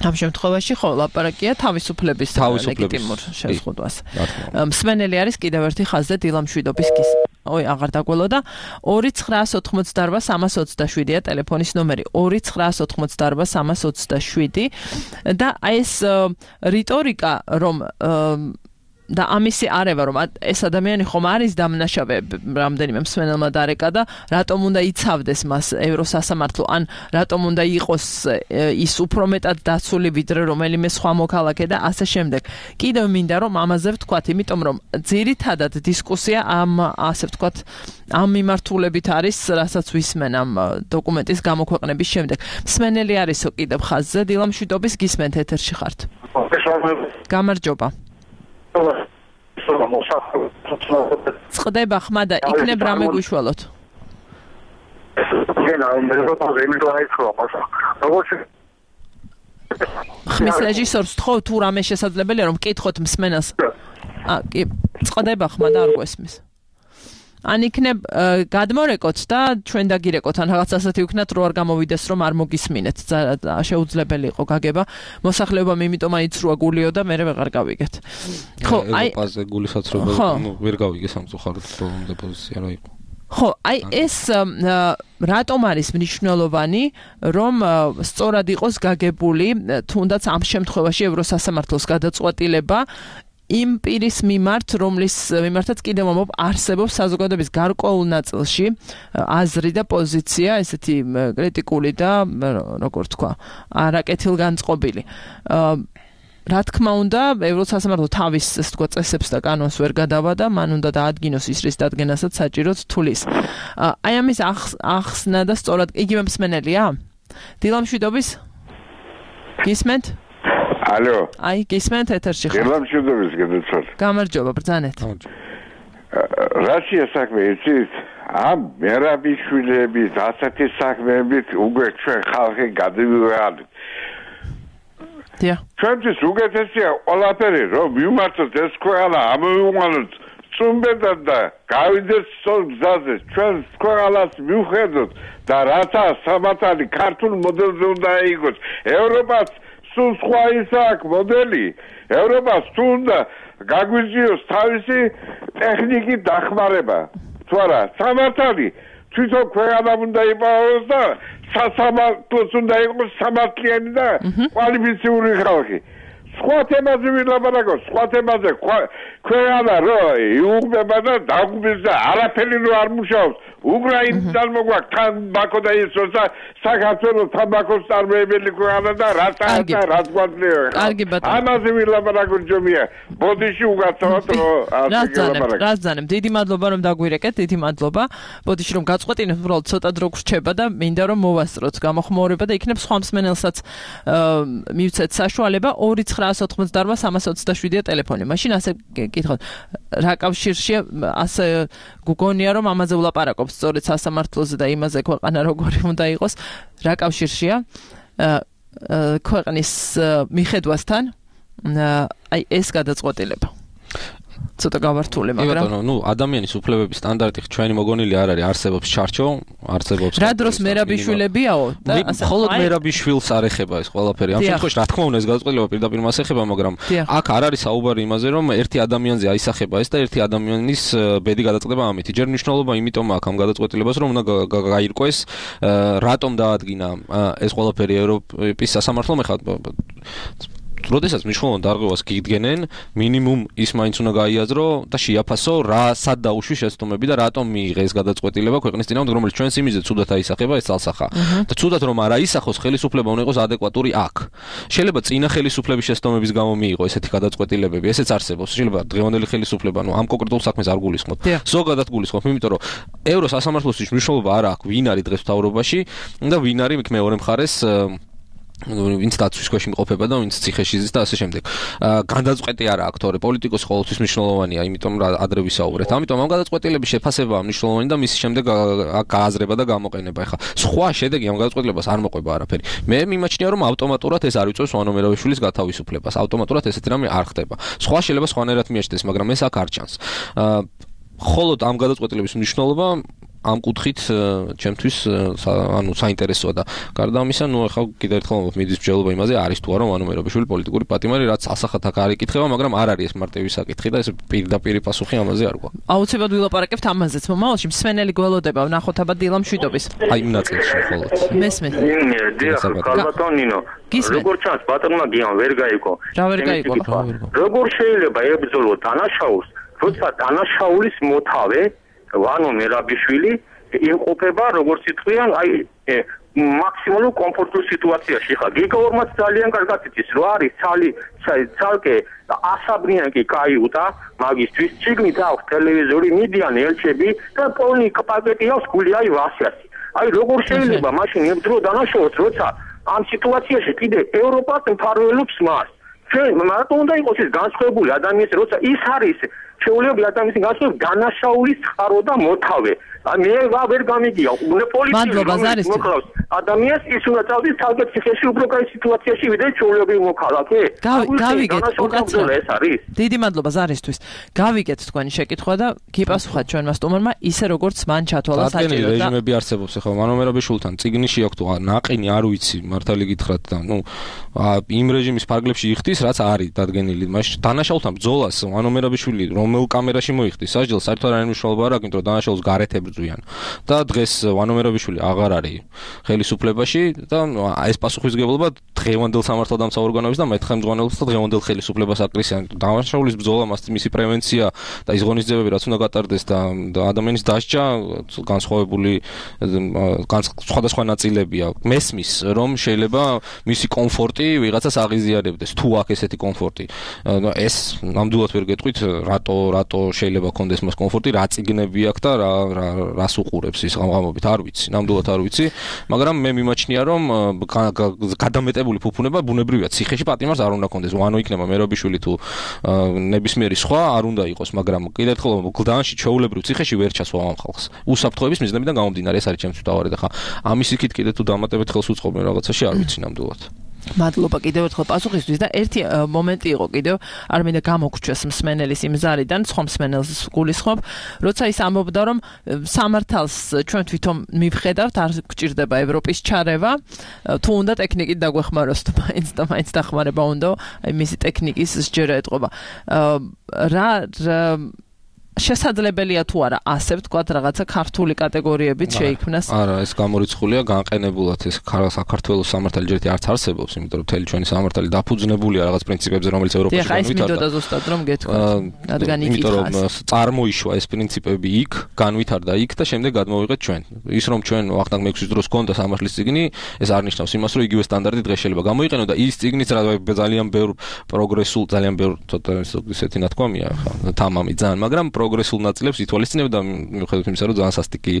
ამ შემთხვევაში ხო ლაპარაკია თავისუფლების ლეგიტიმურ შეზღუდვას. მსმენელი არის კიდევ ერთი ხაზზე დილამშვიდობის გის. ой, აღარ დაგველოდა. ორი ცხრაას ოთხმოცდაარბა სამას ოცდაშვიდია ტელეფონის ნომერი. ორი ცხრაას ოთხმოცდაარბა სამას ოცდაშვიდი და აი ეს რიტორიკა რომ და ამისი არევა რომ ეს ადამიანი ხომ არის დამნაშავე რამდენიმე მსმენელმა დარეკა და რატომ უნდა იცავდეს მას ევროსასამართლო ან რატომ უნდა იყოს ის უფრო მეტად დაცული ვიდრე რომელიმე სხვა მოქალაქე და ასე შემდეგ. კიდევ მინდა რომ ამაზე ვთქვათ, იმიტომ რომ ძირითადად დისკუსია ამ ასე ვთქვათ ამ მიმართულებით არის, რასაც ვისმენ ამ დოკუმენტის გამოქვეყნების შემდეგ. მსმენელი არისო კიდევ ხაზზე, დილამშვიდობის გისმენთ ეთერში ხართ. გამარჯობა. წყდება ხმა და იქნებ რამე გვიშველოთ. ხმის რეჟისორს თხოვ თუ რამე შესაძლებელია რომ მკითხოთ მსმენელს. აა კი, წყდება ხმა და არ გვესმის. ან იქნებ გადმორეკოთ და ჩვენ დაგირეკოთ ან რაღაც ასეთი ვიქნათ რო არ გამოვიდეს რომ არ მოგისმინეთ. შეუძლებელი იყო გაგება. მოსახლეობამ იმიტომ აიცრუა გულიო და მე ვეღარ გავიგეთ. ხო, აი ევროპაზე გულისაცრობა ნუ ვერ გავიგე სამწუხაროდ ბოლომდე პოზიცია რა იყო. ხო, აი ეს რატომ არის მნიშვნელოვანი რომ სწორად იყოს გაგებული თუნდაც ამ შემთხვევაში ევროსასამართლოს გადაწყვეტილება იმ პირის მიმართ, რომლის მიმართაც კიდევ მომობ არსებობს საზოგადოების გარკვეულ ნაწილში აზრი და პოზიცია, ესეთი კრიტიკული და როგორ თქვა, არაკეთილგანწყობილი. რა თქმა უნდა, ევროსასამართლო თავის ასე თქვა წესებს და კანონს ვერ გადავა და მან უნდა დაადგინოს ის რის დადგენასაც საჭიროდ თulis. აი ამის ახსნა და სწორად იგივე მსმენელია? დილამშვიდობის? გისმენთ? ალო. აი, გისმენთ ეთერში ხარ. დილამშვიდობის გეძალ. გამარჯობა, ბრძანეთ. რაშია საქმე იცით? ამ მერაბიშვილების ასეთი საქმეებით უკვე ჩვენ ხალხი გადმივიღალით. დიახ. ჩვენთვის უკეთესია ყველაფერი, რომ მიმართოთ ეს ქვეყანა, ამოვიყვანოთ წუმბედად და გავიდეს სწორ გზაზე. ჩვენ ქვეყანას მივხედოთ და რათა სამართალი ქართულ მოდელზე უნდა იყოს. ევროპას სულ სხვა ის აქვს მოდელი. ევროპას თუ უნდა გაგვიზიოს თავისი ტექნიკის დახმარება. თუ არა, სამართალი თვითონ ქვეყანა უნდა იპოვოს და სასამართლოს უნდა იყოს სამართლიანი და კვალიფიციური ხალხი. სხვა თემაზე ვილაპარაკოთ, სხვა თემაზე ქვეყანა რო იუღბება და დაგუბეს და არაფერი რო არ მუშაობს. უკრაინიდან მოგვაქვს თამბაქო და ისო და საქართველოს თამბაქოს წარმოებელი ქვეყანა და რათა და რაც გვაძლია. კარგი ბატონო. ამაზე ვილაპარაკოთ ჯომია. ბოდიში უგაცავთ რო ასე ვილაპარაკოთ. რაზანებ, დიდი მადლობა რომ დაგვირეკეთ, დიდი მადლობა. ბოდიში რომ გაწყვეტინეთ, უბრალოდ ცოტა დრო გრჩება და მინდა რომ მოვასწროთ გამოხმაურება და იქნებ სხვა მსმენელსაც მივცეთ საშუალება ორი ცხრაას ოთხმოცდაარბა სამას ოცდაშვიდია ტელეფონი. მაშინ ასე გითხოთ, რა კავშირშია ასე გუგონია რომ ამაზე ვლაპარაკობ სწორედ სასამართლოზე და იმაზე ქვეყანა როგორი უნდა იყოს, რა კავშირშია ქვეყნის მიხედვასთან აი ეს გადაწყვეტილება. ცოტა გავართული, მაგრამ ბატონო, ნუ ადამიანის უფლებების სტანდარტი ჩვენი მოგონილი არ არის, არსებობს ჩარჩო, არსებობს. რა დროს მერაბიშვილებიაო და ასე მხოლოდ მერაბიშვილს არ ეხება ეს ყველაფერი. ამ შემთხვევაში რა თქმა უნდა ეს გადაწყვეტილება პირდაპირ მას ეხება, მაგრამ აქ არ არის საუბარი იმაზე, რომ ერთი ადამიანზე აისახება ეს და ერთი ადამიანის ბედი გადაწყდება ამით. ჯერ მნიშვნელობა იმიტომ აქვს ამ გადაწყვეტილებას, რომ უნდა გაირკვეს რატომ დაადგინა ეს ყველაფერი ევროპის სასამართლომ. ეხლა როდესაც მნიშვნელოვან დარღვევას გიდგენენ, მინიმუმ ის მაინც უნდა გაიაზრო და შეაფასო რა სად დაუშვი შეცდომები და რატომ მიიღეს გადაწყვეტილება ქვეყნის წინააღმდეგ, რომელიც ჩვენს იმიზე ცუდად აისახება ეს ძალსახა. და ცუდად რომ არ აისახოს, ხელისუფლება უნდა იყოს ადეკვატური აქ. შეიძლება წინა ხელისუფლების შეცდომების გამო მიიღო ესეთი გადაწყვეტილებები, ესეც არსებობს. შეიძლება დღევანდელი ხელისუფლება, ნუ ამ კონკრეტულ საქმეს არ გულისხმობ. ზოგადად გულისხმობ, იმიტომ რომ ევროსასამართლოსთვის მნიშვნელობა არ აქვს, ვინ არის დღეს მთავრობაში და ვინ არის იქ მეორე მხარეს ვინც დაცვის ქვეშ იმყოფება და ვინც ციხეში ზის და ასე შემდეგ. გადაწყვეტი არა აქვს, თორე პოლიტიკოსი ყოველთვის მნიშვნელოვანია, იმიტომ რომ ადრე ვისაუბრეთ. ამიტომ ამ გადაწყვეტილების შეფასებაა მნიშვნელოვანი და მის შემდეგ გააზრება და გამოყენება. ეხლა სხვა შედეგი ამ გადაწყვეტილებას არ მოყვება არაფერი. მე მიმაჩნია რომ ავტომატურად ეს არ იწვევს ვანო მერაბიშვილის გათავისუფლებას. ავტომატურად ესეთი რამე არ ხდება. სხვა შეიძლება სხვანაირად მიეჩნდეს, მაგრამ ეს აქ არ ჩანს. ხოლო ამ გადაწყვეტილების მნიშვნელობა ამ კუთხით ჩემთვის ანუ საინტერესოა და გარდა ამისა, ნუ ახლა კიდევ ერთხელ მიდის მსჯელობა იმაზე, არის თუ არა ვანო მერაბიშვილი პოლიტიკური პატიმარი, რაც ასახად აქ არ იკითხება, მაგრამ არ არის ეს მარტივი საკითხი და ეს პირდაპირი პასუხი ამაზე არ გვაქვს. აუცილებლად ვილაპარაკებთ ამაზეც, მომავალში მსმენელი გველოდება ვნახოთ აბა დილა მშვიდობის. აი იმ ნაწილში მხოლოდ. მესმის. დიახ, ხალბატონინო. როგორ ჩანს ბატონმა გიამ ვერ გაიგო. რა ვერ გაიგო? როგორ შეიძლება ებრძოლო დანაშაულს, როცა დანაშაულის მოთავე ვანო მერაბიშვილი იმყოფება როგორც ითქვიან, აი მაქსიმალურ კომფორტულ სიტუაციაში. ხა გიგაორმაც ძალიან კარგად იცის, რომ არის ცალი ცალკე ასაბრიანკი კაიუტა, მაგისტრის ციგნით აქვს ტელევიზორი, მიდიან ელჩები და პოლნი პაკეტი აქვს გული აი ვასიასი. აი როგორ შეიძლება მაშინ ებრძოლო დანაშაულს, როცა ამ სიტუაციაში კიდე ევროპას მფარველობს მას. ჩვენ მარტო უნდა იყოს ეს განსხვავებული ადამიანის, როცა ის არის შეუძლებელი ადამიანის განსხვავებული დანაშაულის წყარო და მოთავე. მე ვერ გამიგია, უნდა პოლიცია მოკლავს ადამიანს, ის უნდა წავიდეს თავგად ციხეში უფრო კაი სიტუაციაში, ვიდრე შეუძლებელი მოქალაქე. გავიგეთ, უკაცრავ ეს არის. დიდი მადლობა ზარისთვის. გავიგეთ თქვენი შეკითხვა და გიპასუხათ ჩვენმა სტუმარმა ისე როგორც მან ჩათვალა საჭირო და რეჟიმები არსებობს ახლა ვანო მერაბიშვილთან წიგნში აქვს თუ ნაყინი არ ვიცი, მართალი გითხრათ და ნუ იმ რეჟიმის ფარგლებში იხდის, რაც არის დადგენილი. მაშინ დანაშაულთან ბრძოლას ვანო მერაბიშვილი რომელ კამერაში მოიხდის სასჯელს, საერთოდ არ მნიშვნელობა არ აქვს, იმიტომ რომ დანაშაულს გარეთ ებრძვიან. და დღეს ვანო მერაბიშვილი აღარ არის ხელისუფლებაში და ეს პასუხისმგებლობა დღევანდელ სამართალდამცავ ორგანოებს და მეთხმეწონეობს და დღევანდელ ხელისუფლებას აკრისიან. დანაშაულის ბრძოლა, მისი პრევენცია და ის ღონისძიებები, რაც უნდა გატარდეს და ადამიანის დასჯა განსხვავებული სხვადასხვა ნაწილებია. მესმის, რომ შეიძლება მისი კომფორტი ვიღაცას აღიზიარებდეს, თუ აქვს ესეთი კომფორტი. ეს ნამდვილად ვერ გეტყვით, რატო რატო შეიძლება კონდეს მას კომფორტი, რა წიგნები აქვს და რა რას უყურებს ის ღამღამობით, არ ვიცი, ნამდვილად არ ვიცი, მაგრამ მე მიმაჩნია, რომ გადამეტებული ფუფუნება ბუნებრივია, ციხეში პატიმარს არ უნდა კონდეს, ვანო იქნება მერაბიშვილი თუ ნებისმიერი სხვა არ უნდა იყოს, მაგრამ კიდევ ერთხელ გლდანში ჩვეულებრივ ციხეში ვერ ჩასვა ამ ხალხს. უსაფრთხოების მიზნებიდან გამომდინარე, ეს არის ჩემთვის მთავარი და ხა ამის იქით კიდე თუ დამატებით ხელს უწყობენ რაღაცაში, არ ვიცი ნამდვილად. მადლობა კიდევ ერთხელ პასუხისთვის და ერთი მომენტი იყო კიდევ არ მინდა გამოგჩვეს მსმენელის იმ ზარიდან, სხვა მსმენელს გულისხმობ, როცა ის ამბობდა რომ სამართალს ჩვენ თვითონ მივხედავთ, არ გჭირდება ევროპის ჩარევა, თუ უნდა ტექნიკით დაგვეხმაროს თუ მაინც და მაინც დახმარება უნდა, აი მისი ტექნიკის სჯერა ეთყობა. რა შესაძლებელია თუ არა ასე ვთქვათ რაღაცა ქართული კატეგორიებით შეიქმნას? არა, ეს გამორიცხულია განყენებულად, ეს საქართველოს სამართალი ჯერ არც არსებობს, იმიტომ რომ მთელი ჩვენი სამართალი დაფუძნებულია რაღაც პრინციპებზე, რომელიც ევროპაში განვითარდა. ეხლა ის მინდოდა ზუსტად რომ გეთქვათ, რადგან იქ იმიტომ რომ წარმოიშვა ეს პრინციპები იქ, განვითარდა იქ და შემდეგ გადმოვიღეთ ჩვენ. ის რომ ჩვენ ვახტანგ მეექვსის დროს გქონდა სამართლის წიგნი, ეს არ ნიშნავს იმას, რომ იგივე სტანდარტი დღეს შეიძლება გამოიყენო და ის წიგნიც ძალიან ბევრ პროგრესულ, ძალიან ბევრ ცოტა ისეთი ნათქვამია, ხა თამამი ძალიან, მაგრამ პროგრესულ ნაწილებს ითვალისწინებ და მიუხედავად იმისა, რომ ძალიან სასტიკი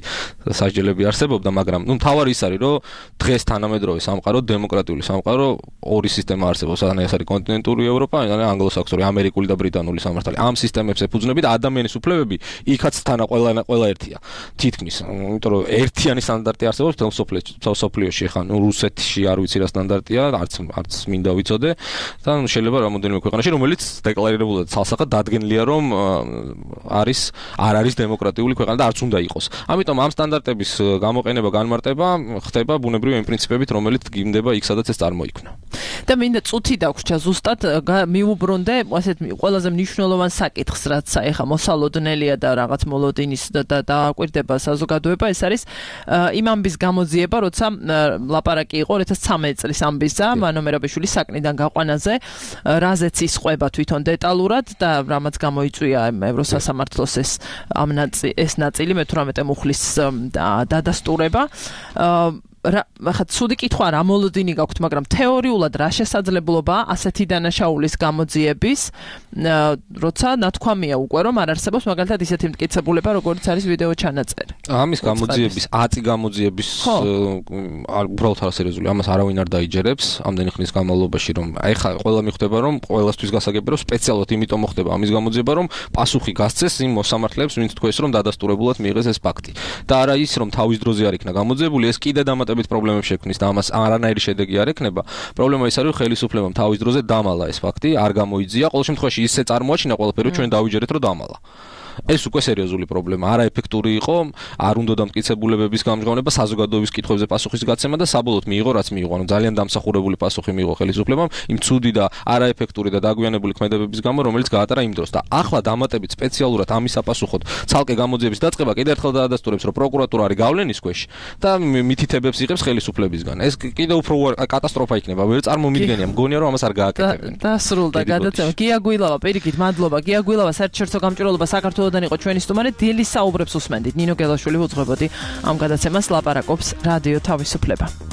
სასჯელები არსებობდა, მაგრამ ნუ მთავარი ის არის, რომ დღეს თანამედროვე სამყარო, დემოკრატიული სამყარო, ორი სისტემა არსებობს, ანუ ეს არის კონტინენტური ევროპა, ანუ ანგლო-საქსონური, ამერიკული და ბრიტანული სამართალი. ამ სისტემებს ეფუძნები და ადამიანის უფლებები იქაც თანა ყველა ყველა ერთია. თითქმის, იმიტომ რომ ერთიანი სტანდარტი არსებობს მთელ სოფლიოში, ხა ნუ რუსეთში არ ვიცი რა სტანდარტია, არც არც მინდა ვიცოდე და შეიძლება რამოდენიმე ქვეყანაში, რომელიც დეკლარირებულად ცალსახად დადგენილია, რომ არის არ არის დემოკრატიული ქვეყანა და არც უნდა იყოს. ამიტომ ამ სტანდარტების გამოყენება, განმარტება ხდება ბუნებრივი იმ პრინციპებით, რომელიც გინდება იქ, სადაც ეს წარმოიქმნა. და მინდა წუთი დაგვრჩა ზუსტად მიუბრუნდე ასეთ ყველაზე მნიშვნელოვან საკითხს, რაც ეხა მოსალოდნელია და რაღაც მოლოდინის და დააკვირდება საზოგადოება, ეს არის იმ ამბის გამოძიება, როცა ლაპარაკი იყო two thousand thirteen წლის ამბისა, მანო მერაბიშვილის საკნიდან გაყვანაზე, რაზეც ისყვება თვითონ დეტალურად და რამაც გამოიწვია ევროსასამართლოს ეს ამ ეს ნაწილი მე თვრამეტე მუხლის დადასტურება. ახლა ცუდი კითხვა რა მოლოდინი გაქვთ, მაგრამ თეორიულად რა შესაძლებლობაა ასეთი დანაშაულის გამოძიების, როცა ნათქვამია უკვე რომ არ არსებობს მაგალითად ისეთი მტკიცებულება, როგორც არის ვიდეო ჩანაწერი. ამის გამოძიების, ათი გამოძიების უბრალოდ არასერიოზული, ამას არავინ არ დაიჯერებს ამდენი ხნის განმავლობაში, რომ აი ხა ყველა მიხვდება რომ ყველასთვის გასაგები რომ სპეციალურად იმიტომ მოხდება ამის გამოძიება, რომ პასუხი გასცეს იმ მოსამართლეებს, ვინც თქვეს რომ დადასტურებულად მიიღეს ეს ფაქტი. და არა ის რომ თავის დროზე არ იქნა გამოძიებული, ეს კიდე დამატებით პრობლემებს შექმნის და ამას არანაირი შედეგი არ ექნება. პრობლემა ის არის, რომ ხელისუფლებამ თავის დროზე დამალა ეს ფაქტი, არ გამოიძია. ყოველ შემთხვევაში ისე წარმოაჩინა ყველაფერი, ჩვენ დავიჯერეთ, რომ დამალა. ეს უკვე სერიოზული პრობლემა, არაეფექტური იყო, არ უნდა დამტკიცებულებების გამჟღავნება, საზოგადოების კითხვებზე პასუხის გაცემა და საბოლოოდ მიიღო რაც მიიღო. ანუ ძალიან დამსახურებული პასუხი მიიღო ხელისუფლებამ იმ ცუდი და არაეფექტური და დაგვიანებული ქმედებების გამო, რომელიც გაატარა იმ დროს. და ახლა დამატებით სპეციალურად ამის საპასუხოდ ცალკე გამოძიების დაწყება კიდევ ერთხელ დაადასტურებს, რომ პროკურატურა არის გავლენის ქვეშ და მითითებებს იღებს ხელისუფლებისგან. ეს კიდევ უფრო კატასტროფა იქნება, ვერ წარმომიდგენია, მგონია რომ ამას არ გააკეთებენ. დასრულდა გადაცემა. გია გვილავა, პირიქით მადლობა. გია გვილავა, საერთაშორისო გამჭირვალობა საქართველოს დან იყო ჩვენი სტუმარი, დილის საუბრებს უსმენდით. ნინო გელაშვილი უძღვებოდი ამ გადაცემას, ლაპარაკობს რადიო თავისუფლება.